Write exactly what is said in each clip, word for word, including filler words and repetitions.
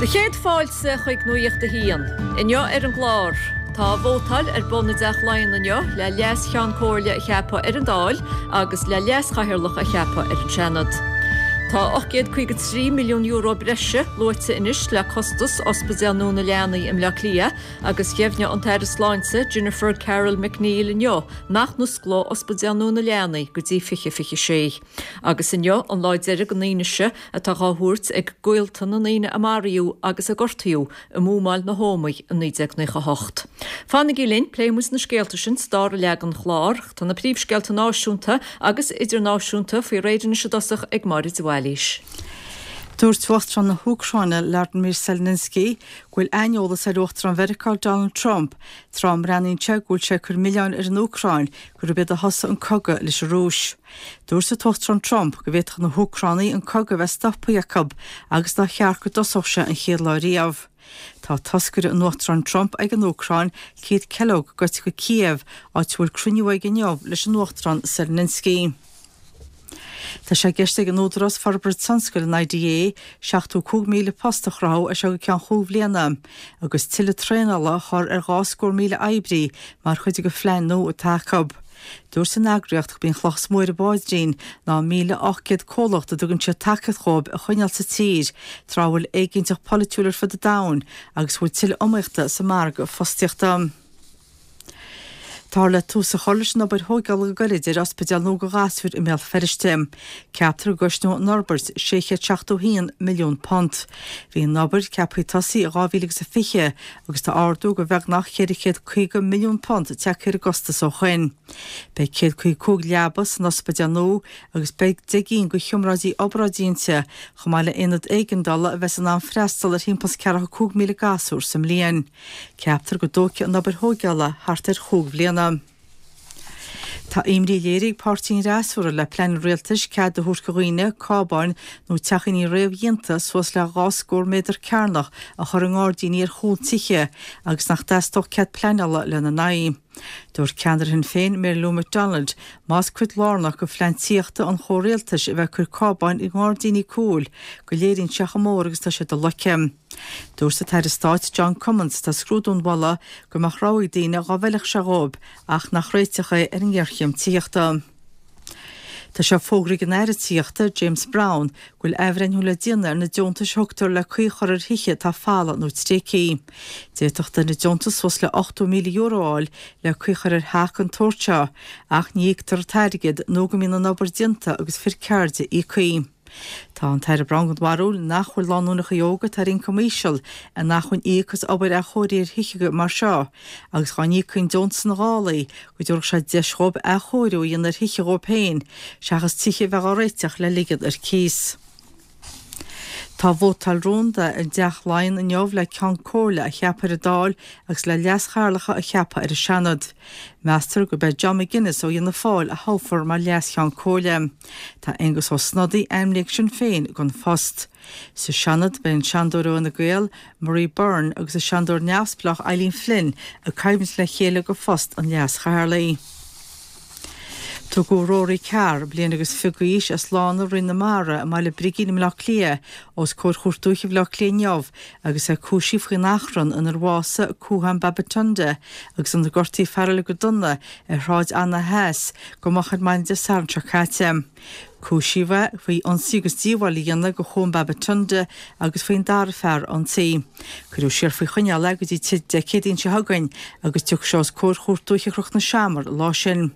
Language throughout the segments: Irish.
Do chéad fáilte chuig Nuacht a hAon. Inniu ar an gclár. Tá vótáil ar bun i dTeach Laighean inniu le Leas-Cheann Comhairle a cheapadh ar an Dáil agus le Leas-Chathaoirleach a cheapadh ar an Seanad. Tá ocht gcéad caoga trí milliún euro breise luaite anois le costas Ospidéal Nua na Leanaí i mBleá Cliath agus dheimhnigh an tAire Sláinte Jennifer Carroll MacNeill inniu nach n-osclóidh Ospidéal Nua na Leanaí go dtí fiche fiche sé. Agus inniu an lá deiridh don fhianaise atá á thabhairt ag gaolta na ndaoine a maraíodh agus a gortaíodh i mbuamáil na hÓmaí i naoi déag naocha hocht. Fanaigí linn, pléifidh muid na scéalta sin sa dara leath den chlár. Tá na príomhscéalta náisiúnta agus idirnáisiúnta faoi réir anois i dtosach ag Máire de Bhailís. Dúirt Uachtarán na hÚcráine Vladimir Zelensky go bhfuil aineolas ar Uachtarán Mheiriceá Donald Trump tráth a mbreathnaíonn sé go bhfuil sé ag cur milleáin ar an Úcráin gurb iad a thosaigh an cogadh leis an Rúis. Dúirt an tUachtarán Trump go bhféadfadh na hÚcránaigh an cogadh a bheith stoptha acu agus nár cheart go dtosódh sé an chéad lá riamh. Tá toscaire an Uachtaráin Trump ag an Úcráin, Keith Kellogg, gaibhte go Kiev, áit a bhfuil cruinniú aige inniu leis an Uachtarán Zelensky. Tá sé i gceist ag an Údarás Forbartha Tionscail an I D A seachtó cúig míle post a chruthú as seo go ceann chúig bhliana agus tuilleadh traenála a chur ar dhá scór míle oibrí mar chuid de phlean nua atá acu. Dúirt an eagraíocht gurb í an chloch is mó ar a bpaidrín ná míle ocht gcéad comhlacht a dtugann siad tacaíocht dhóibh a choinneáil sa tír tráth a bhfuil éiginnteacht polaitiúil ar fud an domhain agus bhfuil tuilleadh iomaíochta sa margadh fostaíochta. Táthar le tús a chur leis an obair thógála go gairid ar ospidéal nua do ghasúir i mBéal Feirste. Ceaptar go gcosnóidh an fhorbairt sé chéad seachtó haon milliún punt. Bhí an obair ceaptha tosaí i dhá mhíle agus a fiche agus tá ardú de bheagnach ceithre chéad caoga milliún punt tagtha ar an gcostas ó shin. Beidh céad caoga cúig leaba san ospidéal nua agus beidh deich gcinn de sheomraí obráidí inti, chomh maith le aonad éigeandála a bheas in ann freastal ar thimpeall ceathracha cúig míle gasúr sa mbliain. Ceaptar go dtógfaidh an obair thógála thart ar chúig bhliana. Tá imní léirithe ag páirtí an fhreasúra le plean an rialtais cead a thabhairt do dhaoine cábáin nó teachíní réamhdhéanta suas le dhá scór méadar cearnach a chur i ngairdíní ar chúl tithe agus nach dteastódh cead pleanála lena n-aghaidh. Dúirt ceannaire Shinn Féin Mary Lou McDonald más cuid lárnach de phlean tithíochta an chomhrialtais a bheith ag cur cábáin i ngairdíní cúil go léiríonn sé chomh mór agus tá sé do loiceadh. Dúirt an tAire Stáit John Cummins atá ag scrúdú an mholadh go mbeadh rogha ag daoine dá bhfeilfeadh sé dhóibh ach nach réiteach é ar an ngéarchéim tithíochta. Tá sé fógraithe ag an Aire Tithíochta James Browne go bhfuil athbhreithniú le déanamh ar na deontais a thugtar le caoi a chur ar thithe atá folamh nó tréigthe. D'fhéadfadh duine deontas suas le ochtó míle euro a fháil le caoi a chur ar theach den tsórt seo ach ní íoctar an t-airgead nó go mbíonn an obair déanta agus fir ceirde íoctha. Tá an tAire Browne den bharúil nach bhfuil lánúineacha óga atá ar ioncam íseal in acmhainn íoc as obair athchóirithe ar thithe mar seo agus dá n-íocfaí an deontas ina dhálaí go dtabharfadh sé deis dhóibh athchóiriú a dhéanamh ar thithe dhóibh féin seachas tithe a bheith á réiteach le ligean ar cíos. Tá vótáil rúnda i dTeach Laighean inniu le Ceann Comhairle a cheapadh ar an Dáil agus le Leas-Chathaoirleacha a cheapadh ar an Seanad. Meastar gurb é John McGuinness ó Fhianna Fáil a thoghfar mar Leas-Cheann Comhairle. Tá Aengus Ó Snodaigh ainmnithe ag Sinn Féin don phost. Sa Seanad beidh an Seanadóir ó Fhine Gael, Marie Byrne agus an Seanadóir neamhspleách Eileen Flynn ag coimhlint le chéile do phost an Leas-Chathaoirligh. Tugadh Rory Carr, bliain agus fiche d'aois, as Lána Rinn na Mara i mBaile Brigín i mBleá Cliath, os comhair Chúirt Dúiche Bhaile Átha Cliath inniu agus é cúisithe faoin achrann inar bhásaigh Cúthán Babatunde agus inar gortaíodh fear eile go dona ar Shráid Anna Theas go moch ar maidin Dé Sathairn seo caite. Cúisíodh é faoi ionsaí agus díobháil a dhéanamh do Chuan Babatunde agus faoin dara fear a ionsaí. Cuireadh siar faoi choinneáil é go dtí Dé Céadaoin seo chugainn agus tiocfaidh sé os comhair Chúirt Dúiche Chnoc na Seamar an lá sin.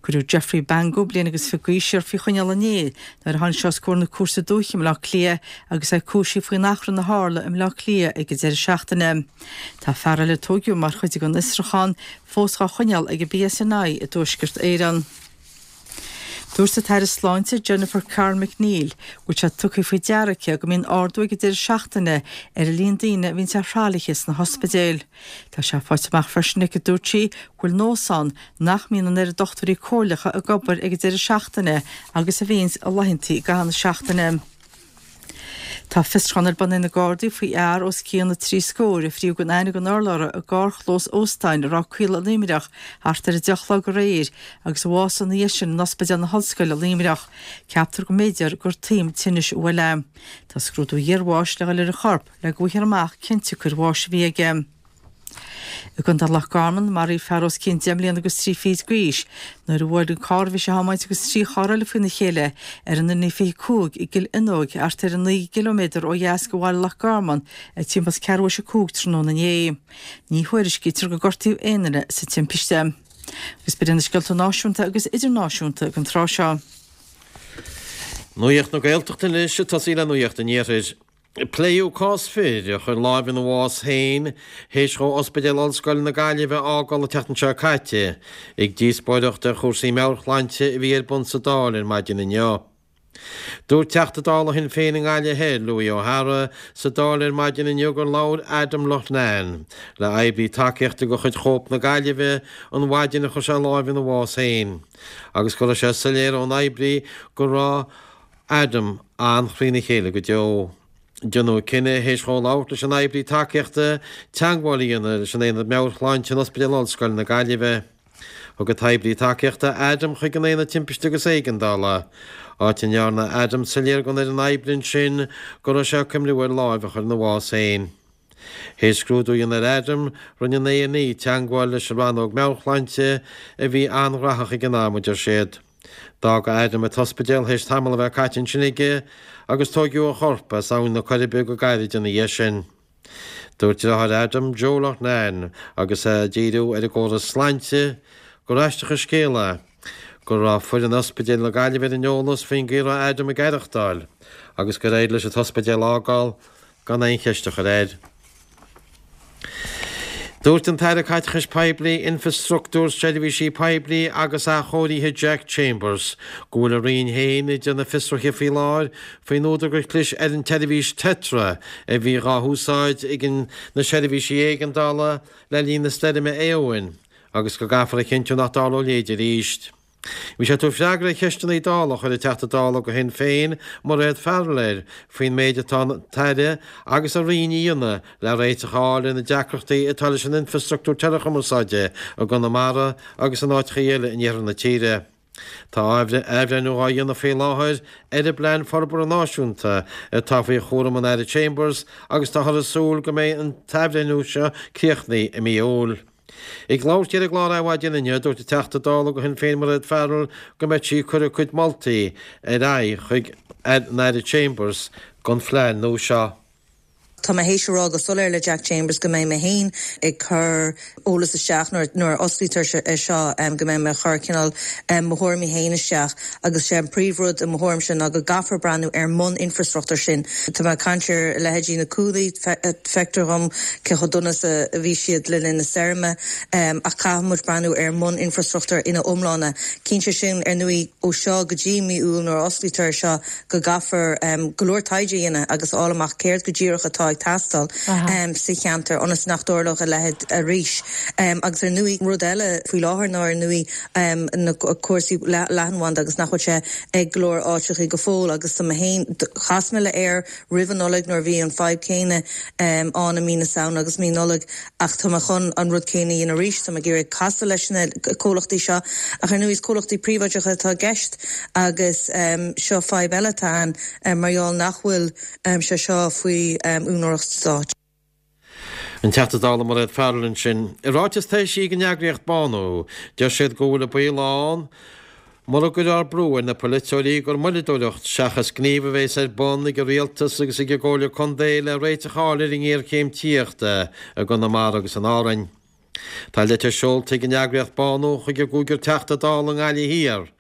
Cuireadh Jeffrey Bango, bliain agus fiche d'aois, siar faoi choinneáil inné nuair a tháinig sé os comhair na Cúirte Dúiche i mBleá Cliath agus é cúisithe faoin achrann a tharla i mBleá Cliath ag an deireadh seachtaine. Tá fear eile a tóigeadh mar chuid den fhiosrúchán fós á choinneáil ag an P S N I i dTuaisceart Éireann. Dúirt an tAire Sláinte Jennifer Carroll MacNeill go bhfuil sé tugtha faoi deara aici go mbíonn ardú ag an deireadh seachtaine ar an líon daoine a bhíonn ar thralaithe sna hospidéil. Tá sé faighte amach freisin aici, dúirt sí, go bhfuil nós ann nach mbíonn an oiread dochtúirí comhairleacha ag obair ag an deireadh seachtaine agus a bhíonns i laethanta i gcaitheamh na seachtaine. Tá fiosrúchán ar bun ag na Gardaí faoi fhear os cionn na trí scór a fríodh gan aithne gan urlabhra i gcarrchlós óstáin i Ráth Caola i Luimneach thart ar a deich a chlog aréir agus a bhásaigh ina dhiaidh sin in Ospidéal na hOllscoile i Luimneach. Ceaptar go mb'fhéidir gur taom tinnis a bhuail é. Tá scrúdú iarbháis le dhul ar a chorp le go bhfaighfear amach cén tsiocair bháis a bhí aige. I gContae Loch Garman, maraíodh fear os cionn deich mbliana agus trí fichid d'aois nuair a bhuail an carr a bhí sé a thiomáint agus trí charr eile faoina chéile ar an N fiche cúig i gCill Fhionnóig, thart ar naoi gciliméadar ó dheas de bhaile Loch Garman, ag timpeall is ceathrú théis a cúig tráthnóna inné. Ní thuairiscítear gur gortaíodh aon duine sa timpiste. Agus b'in na scéalta náisiúnta agus idirnáisiúnta ag an tráth seo. Nuacht na Gaeltachta anois, ag tosaí le Nuacht an Iarthair. Pléadh cás fir a chuir lámh ina bhás féin théis dhó Ospidéal Ollscoile na Gaillimhe a fhágáil an tseachtain seo caite ag díospóireacht ar chúrsaí meabhairshláinte a bhí ar bun sa Dáil ar maidin inniu. Dúirt Teachta Dála Shinn Féin i nGaillimh Thoir, Louis O'Hara, sa Dáil ar maidin inniu gur labhair Adam Loughnane le oibrí tacaíochta de chuid Chóip na Gaillimhe an mhaidin a chuir sé lámh ina bhás féin agus go raibh sé soiléir ón oibrí go raibh Adam an-thrína chéile go deo. Déanadh cinneadh théis dhó labhairt leis an oibrí tacaíochta teagmháil a dhéanamh leis an Aonad Meabhairshláinte in Ospidéal Ollscoile na Gaillimhe. Thug an t-oibrí tacaíochta Adam chuig an Aonad Timpiste agus Éigeandála, áit a ndearna Adam soiléir don fhoireann oibre ansin go raibh sé ag cuimhniú ar láimh a chur ina bhás féin. Théis scrúdú a dhéanamh ar Adam, rinne an A&E teagmháil leis an Rannóg Meabhairshláinte, a bhí an-ghnóthach ag an am, a deir siad. D'fhág Adam an t-ospidéal théis tamall a bheith caite ansin aige agus tóigeadh a chorp as Abhainn na Coiribe go gairid ina dhiaidh sin. Dúirt deartháir Adam, Joe Loughnane, agus é ag díriú ar an gcóras sláinte, gur aisteach an scéal é go raibh foireann Ospidéal na Gaillimhe ar an eolas faoin gcaoi a raibh Adam ag aireachtáil agus gur éirigh leis an t-ospidéal a fhágáil gan aon cheist a chur air. Dúirt an tAire Caiteachais Poiblí, Infreastruchtúir, Seirbhísí Poiblí agus Athchóirithe Jack Chambers go bhfuil a roinn féin ag déanamh fiosruithe faoi láthair faoin údar gur chlis ar an tseirbhís Tetra a bhí dhá húsáid ag na seirbhísí éigeandála le linn na stoirme Éowyn agus go gcaithfear a chinntiú nach dtarlóidh a leithéid arís. Bhí sé ag tabhairt freagra ar cheisteanna Dála a chuir an Teachta Dála do Shinn Féin, Mairéad Farrell air faoin méid atá an tAire agus a Roinn a dhéanamh le réiteach a fháil ar na deacrachtaí atá leis an infreastruchtúr teileachumarsáide i gConamara agus in áiteacha eile in iarthar na tíre. Tá athbhreithniú á dhéanamh faoi láthair ar an bPlean Forbartha Náisiúnta atá faoi chúram an Aire Chambers agus táthar ag súil go mbeidh an t-athbhreithniú seo críochnaithe i mí Iúil. Ag labhairt di ar an gclár Adhmhaidin inniu, dúirt an Teachta Dála do Shinn Féin Mairéad Farrell go mbeidh sí ag cur a cuid moltaí ar aghaidh chuig an Aire Chambers don phlean nua seo. Tá mé théis a rá go soiléir le Jack Chambers go mbeidh mé féin ag cur eolas isteach nuair nuair a osclaítear é seo go mbeidh mé ag cur cineál mo thuairimí féin isteach agus sé an príomhrud i mo thuairimse ná go gcaithfear breathnú ar an mbun-infreastruchtúr sin. Tá mé ag caint ar leithéidí na cuaillí, feictear dhom cé chomh dona is a bhí siad le linn na stoirme ach caithfidh muid breathnú ar an mbun-infreastruchtúr ina iomláine. Cinnte sin, ar ndóigh, ó seo go dtí mí Iúil nuair a osclaítear é seo go gcaithfear go leor taighde a dhéanamh agus a fháil amach céard go díreach atá ag teastáil sa cheantar ionas nach dtarlódh a leithéid arís. Agus ar ndóigh, rud eile faoi láthair ná ar ndóigh na cúrsaí leathanbhanda agus nach bhfuil sé ag go leor áiteachaí go fóill agus tá mé féin, chas mé le Eir roimh an Nollaig nuair a bhí an fadhb céanna ann i mí na Samhna agus mí Nollag ach tá mé chun an rud céanna a dhéanamh arís, tá mé ag iarraidh casadh leis na comhlachtaí seo ach ar ndóigh is comhlachtaí príobháideacha atá i gceist agus seo fadhb eile atá ann mar gheall nach bhfuil sé seo faoi úinéireacht stáit. An Teachta Dála Mairéad Farrell ansin. I ráiteas atá eisithe ag an eagraíocht Bánú, deir siad go bhfuil an baol ann, mura gcuirfear brú ar na polaiteoirí, gur moilleadóireacht seachas gníomh a bheas ar bun ag an Rialtas agus ag an gComhairle Contae le réiteach a fháil ar an ngéarchéim tithíochta i gConamara agus in Árainn. Tá litir seolta ag an eagraíocht Bánú chuig an gcúigear Teachta Dála i nGaillimh Thiar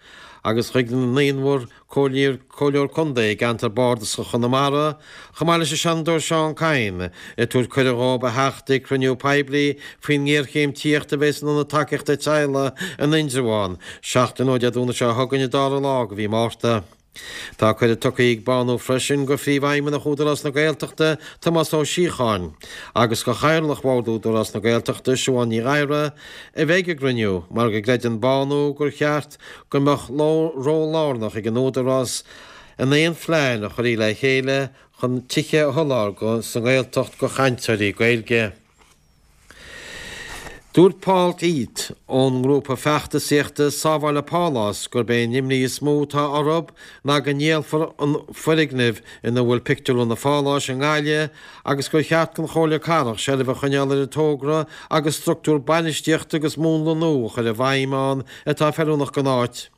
agus chuig an naonúr Comhairleoir Contae i gceantar Bardasach Chonamara, chomh maith leis an Seanadóir Seán Kyne, ag tabhairt cuireadh dhóibh a theacht ag cruinniú poiblí faoin ngéarchéim tithíochta a bheas in Ionad Tacaíochta Teaghlaigh in Indreabhán, seachtain ó Dé Domhnaigh seo chugainn an dara lá de mhí Márta. Tá cuireadh tugtha ag Bánú freisin go Phríomhfheidhmeannach Údarás na Gaeltachta, Tomás Ó Síocháin, agus go Chathaoirleach Bhord Údarás na Gaeltachta, Siobhán Ní Ghadhra, a bheith ag an gcruinniú mar go gcreideann Bánú gur cheart go mbeadh ról lárnach ag an Údarás in aon phlean a chuirfí le chéile chun tithe a sholáthar sa nGaeltacht go chainteoirí Gaeilge. Dúirt Paul D'Eath ón ngrúpa feachtasaíochta Sábháil an Pálás gurb é an imní is mó atá orthu ná go ndíolfar an foirgneamh ina bhfuil Pictiúrlann an Pháláis i nGaillimh agus gur cheart don Chomhairle Cathrach seilbh a choinneáil ar an togra agus struchtúr bainistíochta agus múnla nua a chur i bhfeidhm ann atá feiliúnach don áit.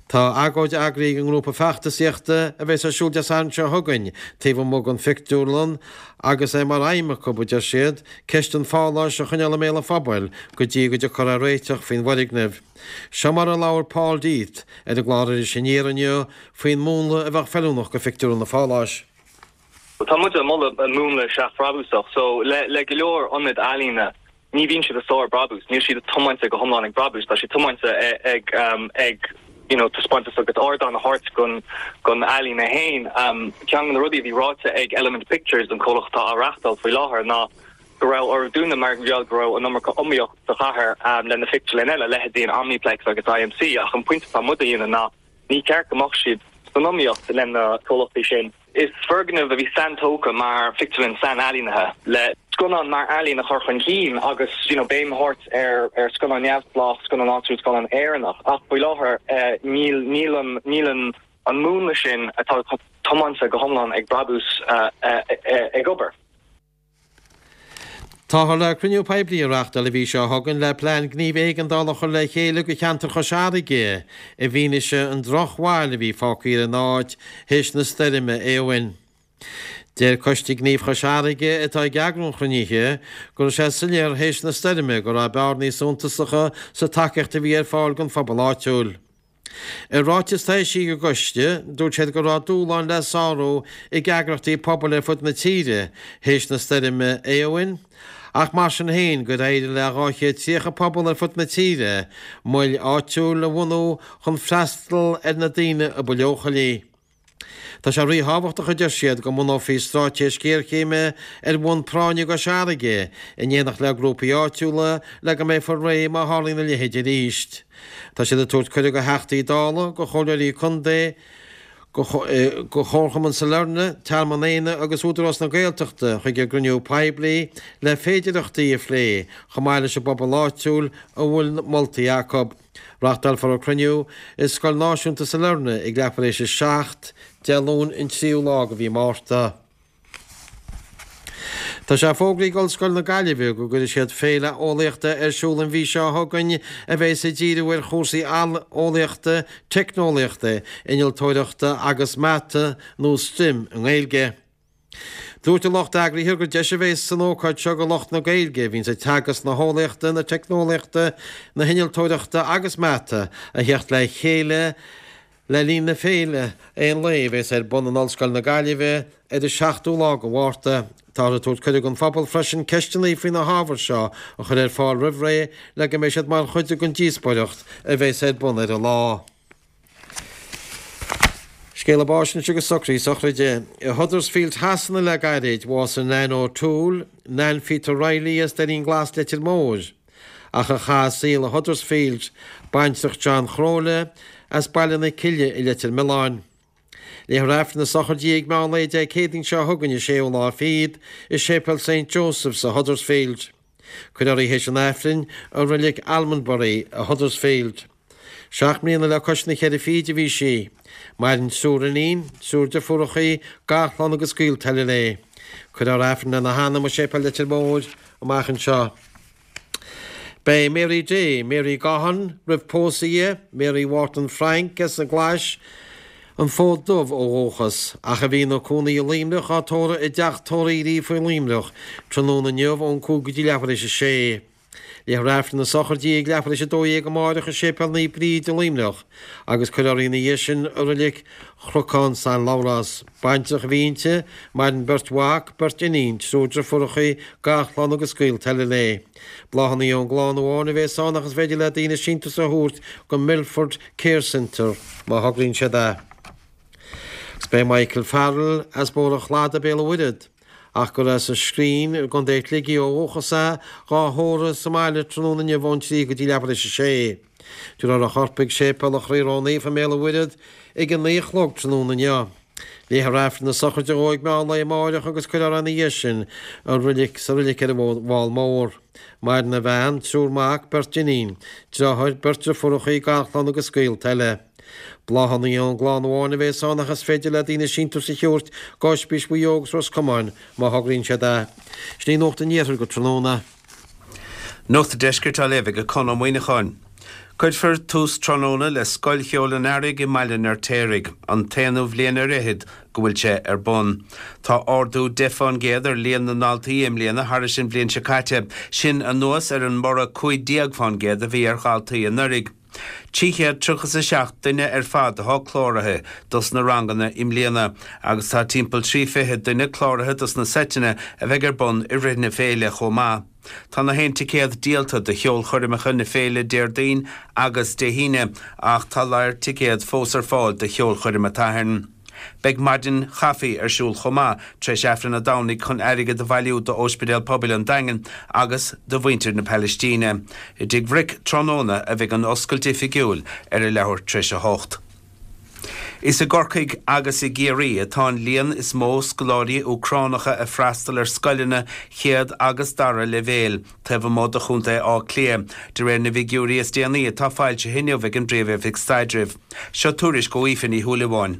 Tá agóid eagraithe ag an ngrúpa feachtasaíochta a bheas ar siúl Dé Sathairn seo chugainn taobh amuigh den phictiúrlann agus é mar aidhm acu, a deir siad, ceist an pháláis a choinneáil i mbéal an phobail go dtí go dtiocfar ar réiteach faoin bhfoirgneamh. Seo mar a labhair Paul D'Eath ar an gclár Iris Aniar inniu faoin múnla a bheadh feiliúnach go phictiúrlann an pháláis. Tá muid ag moladh múnla seachbhrabúsach so le le go leor ionad ealaíne ní bhíonn siad ag sár brabús, níl siad tiomáinte go hiomlán ag brabús, tá siad tiomáinte ag ag you know taispeántas agus ardán a thabhairt don don ealaín féin. Um, ceann de na rudaí a bhí ráite ag Element Pictures an comhlacht atá á reáchtáil faoi láthair ná go raibh orthu dúnadh mar gheall go raibh an iomarca iomaíocht sa chathair um, le na pictiúrlanna eile leithéidí an Omniplex agus IMC ach an pointe atá muid a dhéanamh ná ní ceart go mbeadh siad san iomaíocht le na comhlachtaí sin. Is foirgneamh a bhí saintógtha mar phictiúrlann sainealaíonta le scannán mar ealaín a chur chun cinn agus you know, béim a thabhairt ar ar scannán neamhspleách, scannán áitiúil, scannán Éireannach ach faoi láthair uh, níl níl an níl an an múnla sin atá tiomáinte go hiomlán ag brabús uh, uh, uh, ag obair. Táthar le cruinniú poiblí a reáchtáil an mhí seo chugainn le plean gníomh éigeandála a chur le chéile go cheantar Chois Fharraige i bhfianaise an drochbhail a bhí fágtha ar an áit théis na stoirme Éowyn. Deir Coiste Gnímh Chois Fharraige atá ag eagrú an chruinnithe go raibh sé soiléir théis na stoirme go raibh bearnaí suntasacha sa tacaíocht a bhí ar fáil don phobal áitiúil. I ráiteas a d'eisigh an coiste, dúirt siad go raibh dúshláin le sárú ag eagraíochtaí pobail ar fud na tíre théis na stoirme Éowyn, ach mar sin féin gur éirigh le dhá chéad tríocha pobal ar fud na tíre moil áitiúil a bhunú chun freastal ar na daoine a ba leochailí. Tá sé ríthábhachtach a deir siad go mbunófaí straitéis géarchéime ar bhonn práinne i gCois Fharraige in éineacht le grúpaí áitiúla le go mbeifear réidh má tharlaíonn a leithéid arís. Tá siad ag tabhairt cuireadh do Theachtaí Dála, do Chomhairleoirí Contae, go Chomharchumann Sailearna, Tearmann Éanna agus Údarás na Gaeltachta chuig an gcruinniú poiblí le féidearthachtaí a phlé chomh maith leis an bpobal áitiúil a bhfuil moltaí acu. Reáchtálfar an cruinniú i Scoil Náisiúnta Sailearna ag leathuair éis a seacht Dé Luain an tríú lá de mhí Márta. Tá sé fógraithe ag Ollscoil na Gaillimhe go gcuirfidh siad féile eolaíochta ar siúl an mhí seo chugainn a bheas ag díriú ar chúrsaí eolaíochta, teicneolaíochta, innealtóireachta agus mata nó STEM i nGaeilge. Dúirt an lucht eagraithe gur deis a bheas san ócáid seo do lucht na Gaeilge a bhíonns ag teagasc na heolaíochta, na teicneolaíochta, na hinnealtóireachta agus mata a theacht le chéile Le linn na féile aon lae a bheas ar bun in Ollscoil na Gaillimhe ar an seachtú lá de Mhárta, táthar ag tabhairt cuireadh don phobal freisin ceisteanna faoi na hábhair seo a chur ar fáil roimh ré le go mbeidh siad mar chuid den díospóireacht a bheas ar bun ar an lá. Scéala báis anois agus socruithe sochraide. I Huddersfield Shasana le gairid, bhásaigh Nan O'Toole, Nan Pheta Reilly as Doirín Glas Leitir Móir. Ach a chaith a saol i Huddersfield, baintreach John Chróile, as Baile na Cille i Leitir Mealláin. Léifear Aifreann na sochraide di ag meán lae Dé Céadaoin seo chugainn an séú lá fichead i Séipéal Saint Joseph's i Huddersfield. Cuirfear í théis an Aifrinn i Reilig Almondbury i Huddersfield. Seacht mbliana le cois na ceithre fichid a bhí sí. Maireann triúr iníon, triúr deirfiúrachaí, garchlann agus gaolta eile léi. Cuirfear Aifreann lena hanam i Séipéal Leitir Móir amach anseo. Beidh Mary Day, Mary Gaughan, roimh pósadh di, Mary Wharton Frank as an gClais, An Fód Dubh ó dhúchas, ach a bhí ina cónaí i Luimneach, á tórramh i dteach tórraimh Uí Ríogh faoi Luimneach tráthnóna inniu ón cúig go dtí leathuair éis a sé. Léifear Aifreann na sochraide di ag leathuair éis a dó dhéag amáireach i Séipéal Naomh Bríd i Luimneach agus cuirfear í ina dhiaidh sin i Reilig Chnocán San Labhrás. Baintreach a bhí inti, maireann beirt mhac, beirt iníon, triúr deirfiúrachaí, garchlann agus gaolta eile léi. Bláthanna ón gclann amháin a bhéas ann ach is féidir le daoine síntiús a thabhairt go Milford Care Centre má thograíonn siad é. Agus b'é Michael Farrell as Bóthar an Chladaigh, Béal an Mhuirthead, ach gur as an Scrín i gContae Shligigh ó dhúchas é, dhá thórramh sa mbaile tráthnóna inniu ón trí go dtí leathuair éis a sé. Tabharfar a chorp chuig Séipéal an Chroí Ró-Naofa i mBéal an Mhuirthead ag a naoi a chlog tráthnóna inniu. Léifear Aifreann na sochraide dhó ag meán lae amáireach agus cuirfear é ina dhiaidh sin i reilig sa reilig ar an bhFál Mór. Maireann a bhean, triúr mac, beirt iníon, deartháir, beirt deirfiúracha, garchlann agus gaolta eile. Bláthanna ón gclann amháin a bhéas ann ach is féidir le daoine síntiús a thabhairt go Ospís Mhaigh Eo agus Ros Comáin má thograíonn siad é. Sin í Nuacht an Iarthair go tráthnóna. Nuacht an Deiscirt á léamh ag Conn Ó Muíneacháin. Cuirfear tús tráthnóna le Scoil Cheoil an Earraigh i mBaile an Fheirtéaraigh, an t-aonú bhliain ar fhichead go bhfuil sé ar bun. Tá ardú deich fán gcéad ar líon na ndaltaí i mbliana thairis an bhliain seo caite, sin anuas ar an mborradh cúig déag fán gcéad a bhí ar dhaltaí anuraidh. Trí chéad tríocha is a seacht duine ar fad atá cláraithe dos na ranganna i mbliana agus tá timpeall trí fiche duine cláraithe dos na seiteanna a bheidh ar bun i rith na féile chomh maith. Tá na haon ticéad díolta do cheolchoirmeacha na féile Déardaoin agus Dé hAoine ach tá lear ticéad fós ar fáil do cheolchoirm an tSathairn. Beidh maidin chaife ar siúl chomh maith tar éis Aifreann an Domhnaigh chun airgead a bhailiú d'Óispidéal Pobail an Daingin agus do mhuintir na Palaistíne. I dTigh Bhric tráthnóna a bheidh an oscailt oifigiúil ar a leathuair tar éis a hocht. Is i gCorcaigh agus i gCiarraí atá an líon is mó scoláirí Úcránacha ag freastal ar scoileanna chéad agus dara leibhéil taobh amuigh de Chontae Átha Cliath, de réir na bhfigiúirí is déanaí atá foilsithe inniu ag an bPríomh-Oifig Staidrimh. Seo tuairisc ó Aoife Ní Shúilleabháin.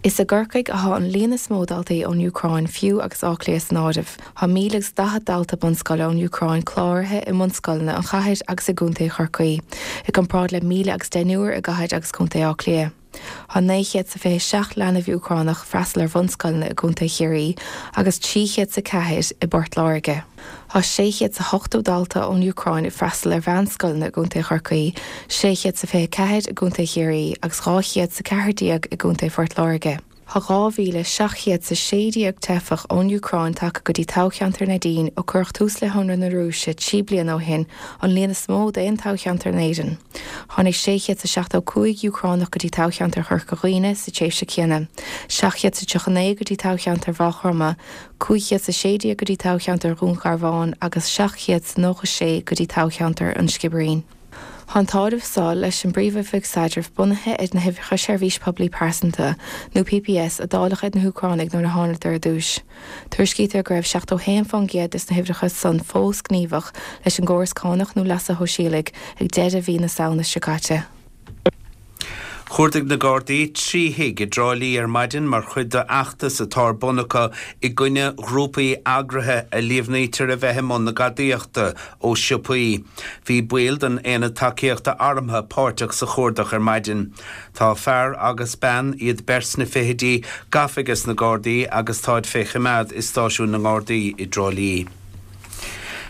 Is i gCorcaigh atá an líon is mó daltaí ón Úcráin fiú agus Áth Cliath san áireamh. Tá míle agus daichead dalta bunscoile ón Úcráin cláraithe i mbunscoileanna an chathair agus i gContae Chorcaí, i gcomparáid le míle agus deichniúr i gcathair agus Contae Átha Cliath. Tá naoi chéad 's a fiche seacht leanbh Úcránach freastal ar bhunscoileanna i gContae Chiarraí agus trí chéad 's a ceathair i bPort Láirge. Tá sé chéad 's a hochtó dalta ón Úcráin ag freastal ar mheánscoileanna i gContae Chorcaí, sé chéad 's a fiche ceathair i gContae Chiarraí agus dhá chéad 's a ceathair déag i gContae Phort Láirge. Tá dhá mhíle seacht chéad 's a sé déag teifeach ón Úcráin tagtha go dtí toghcheantar Neidín ó cuireadh tús le hionradh na Rúise trí bliana ó shin, an líon is mó d'aon toghcheantar in Éirinn. Tháinig sé chéad 's a seachtó cúig Úcránach go dtí toghcheantar Chorca Dhuibhne sa tréimhse céanna, seacht chéad 's a tríocha naoi go dtí toghcheantar Mhaigh Chromtha, cúig chéad 's a sé déag go dtí toghcheantar Dhún Garbhán agus seacht chéad 's nócha sé go dtí toghcheantar an Sciobairín. Tá an t-áireamh seo leis an bPríomh-Oifig Staidrimh bunaithe ar na huimhreacha Seirbhís Poiblí Pearsanta, nó PPS, a dáileadh ar na hÚcránaigh nuair a thánadar ar dtús. Tuairiscítear go raibh seachtó haon fán gcéad des na huimhreacha san fós gníomhach leis an gcóras cánach nó leasa shóisialaigh ag deireadh mhí na Samhna seo caite. Chuardaigh na Gardaí trí thigh i dTrá Lí ar maidin mar chuid d'fheachtas atá ar bun acu i gcoinne ghrúpaí eagraithe a líomhnaítear a bheith i mbun na gadaíochta ó shiopaí. Bhí baill den Aonad Tacaíochta Armtha páirteach sa chuardach ar maidin. Tá fear agus bean, iad beirt sna fichidí, gafa ages na Gardaí agus táid fé choimeád i stáisiún na nGardaí i dTrá Lí.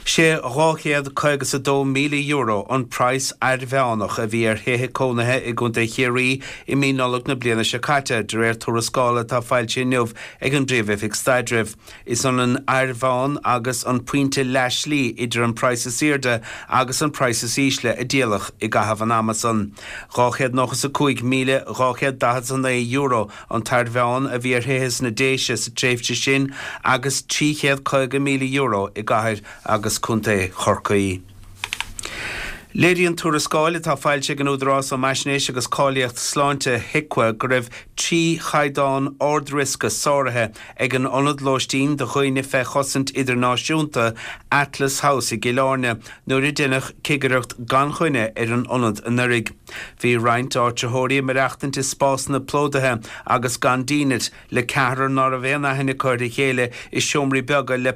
Sé dhá chéad caoga is a dó míle euro an praghas airmheánach a bhí ar thithe cónaithe i gContae Chiarraí i mí Nollag na bliana seo caite, de réir tuarascála atá foilsithe inniu ag an bPríomh-Oifig Staidrimh. Is ionann airmheán agus an pointe leathshlí idir an praghas is airde agus an praghas is ísle a díoladh i gcaitheamh an ama san. Dhá chéad nócha is a cúig míle dhá chéad daichead is a naoi euro an t-airmheán a bhí ar thithe sna Déise sa tréimhse sin agus trí chéad caoga míle euro i gcathair agus contae Chorcaí. Léiríonn tuarascáil atá foilsithe ag an Údarás um Fhaisnéis agus Cáilíocht Sláinte, HIQA, go raibh trí chaighdeán ard-riosca sáraithe ag an ionad lóistín do dhaoine fé chosaint idirnáisiúnta, Atlas House i gCill Airne, nuair a deineadh cigireacht gan choinne ar an ionad anuraidh. Bhí roinnt áitritheoirí ag maireachtaint i spásanna plódaithe agus gan dínit, le ceathrar ná raibh aon aithne acu ar a chéile i seomraí beaga le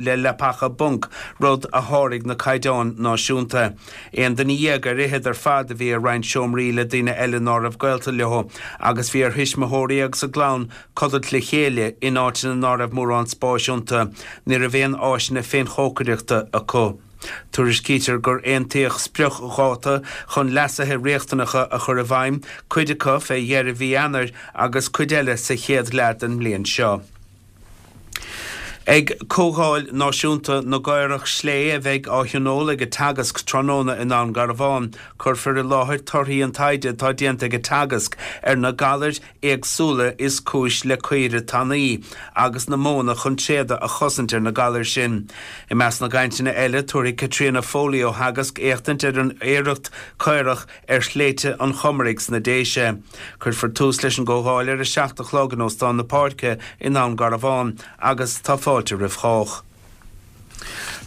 le leapacha bunc, rud a sháraigh na caighdeáin náisiúnta. Aon duine dhéag ar fhichead ar fad a bhí i roinnt seomraí le daoine eile ná raibh gaolta leo, agus bhí ar thuismitheoirí agus a gclann codlait le chéile in áiteanna ná raibh mórán spáis iontu. Ní raibh aon áiseanna féinchócaireachta acu. Tuairiscítear gur aontaíodh spriocdháta chun leasuithe riachtanacha a chur i bhfeidhm, cuid acu fé dheireadh mhí Eanáir agus cuid eile sa chéad leath den mbliain seo. Ag Comhdháil Náisiúnta na gCaorach Slé a bheidh á thionól ag Teagasc tráthnóna i nDún Garbhán, cuirfear i láthair torthaí an taighde atá déanta ag Teagasc ar na galair éagsúla is cúis le caoire tanaí agus na modhanna chun tréada a chosaint ar na galair sin. I measc na gcainteanna eile, tabharfaidh Caitríona Foley ó Theagasc éachtaint ar an aoireacht caorach ar shléibhte an Chomaraigh sna Déise. Cuirfear tús leis an gcomhdháil ar a seacht a chlog in Óstán na Páirce i nDún Garbhán agus tá fáilte roimh chách.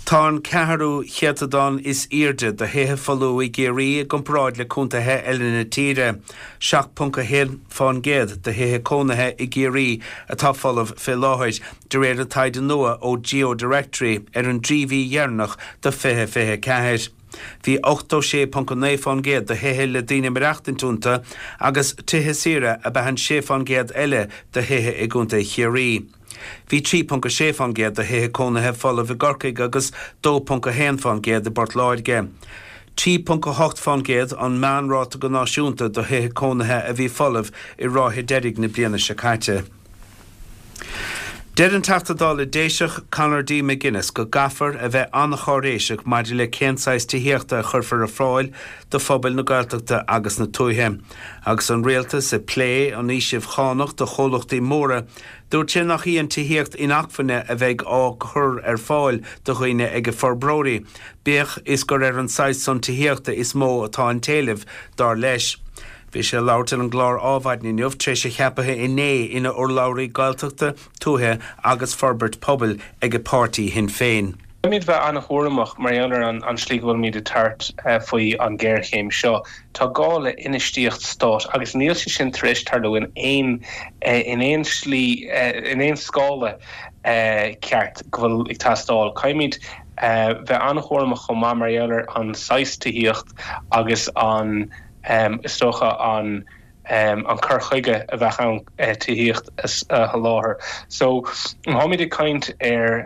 Tá an ceathrú céatadán is airde de thithe folamh i gCiarraí i gcomparáid le contaetha eile na tíre. seacht ponc a haon fán gcéad de thithe cónaithe i gCiarraí atá folamh fé láthair, de réir an taighde nua ó GeoDirectory ar an dtrí mhí dheireanach de fiche fiche a ceathair. Bhí ochtó sé ponc a naoi fán gcéad de thithe le daoine ag maireachtaint iontu agus tithe saoire ab ea an sé fán gcéad eile de thithe i gContae Chiarraí. Bhí trí ponc a sé fán gcéad de thithe cónaithe folamh i gCorcaigh agus dó ponc a haon fán gcéad i bPort Láirge. trí ponc a hocht fán gcéad an meánráta go náisiúnta do thithe cónaithe a bhí folamh i ráithe deiridh na bliana seo caite. Deir an Teachta Dála Déiseach Conor D. McGuinness go gcaithfear a bheith an-cháiréiseach maidir le cén saghas tithíochta a chuirfear ar fáil do phobail na Gaeltachta agus na tuaithe. Agus an Rialtas ag plé an fhaoisimh chánach do chomhlachtaí móra, dúirt sé nach í an tithíocht inacmhainne a bheidh á cur ar fáil do dhaoine ag forbróirí, bíodh is gur ar an saghas san tithíochta is mó atá an t-éileamh, dar leis. Bhí sé ag labhairt ar an gclár Adhmhaidin inniu tar éis a cheaptha inné ina urlabhraí Gaeltachta, Tuaithe agus Forbairt Pobail ag a páirtí Shinn Féin. Caithfimid bheith an-chúramach mar gheall ar an slí go bhfuilimid ag tabhairt faoi an ghéarchéim seo. Tá gá le infheistíocht stáit agus níl sé sin tar éis tarlú in aon in aon slí in aon scála ceart go bhfuil ag teastáil. Caithfimid bheith an-chúramach chomh maith mar gheall ar an saghas tithíocht agus an Is dócha an an cur chuige a bheadh ann tithíocht a sholáthar. So, má tháimid ag caint ar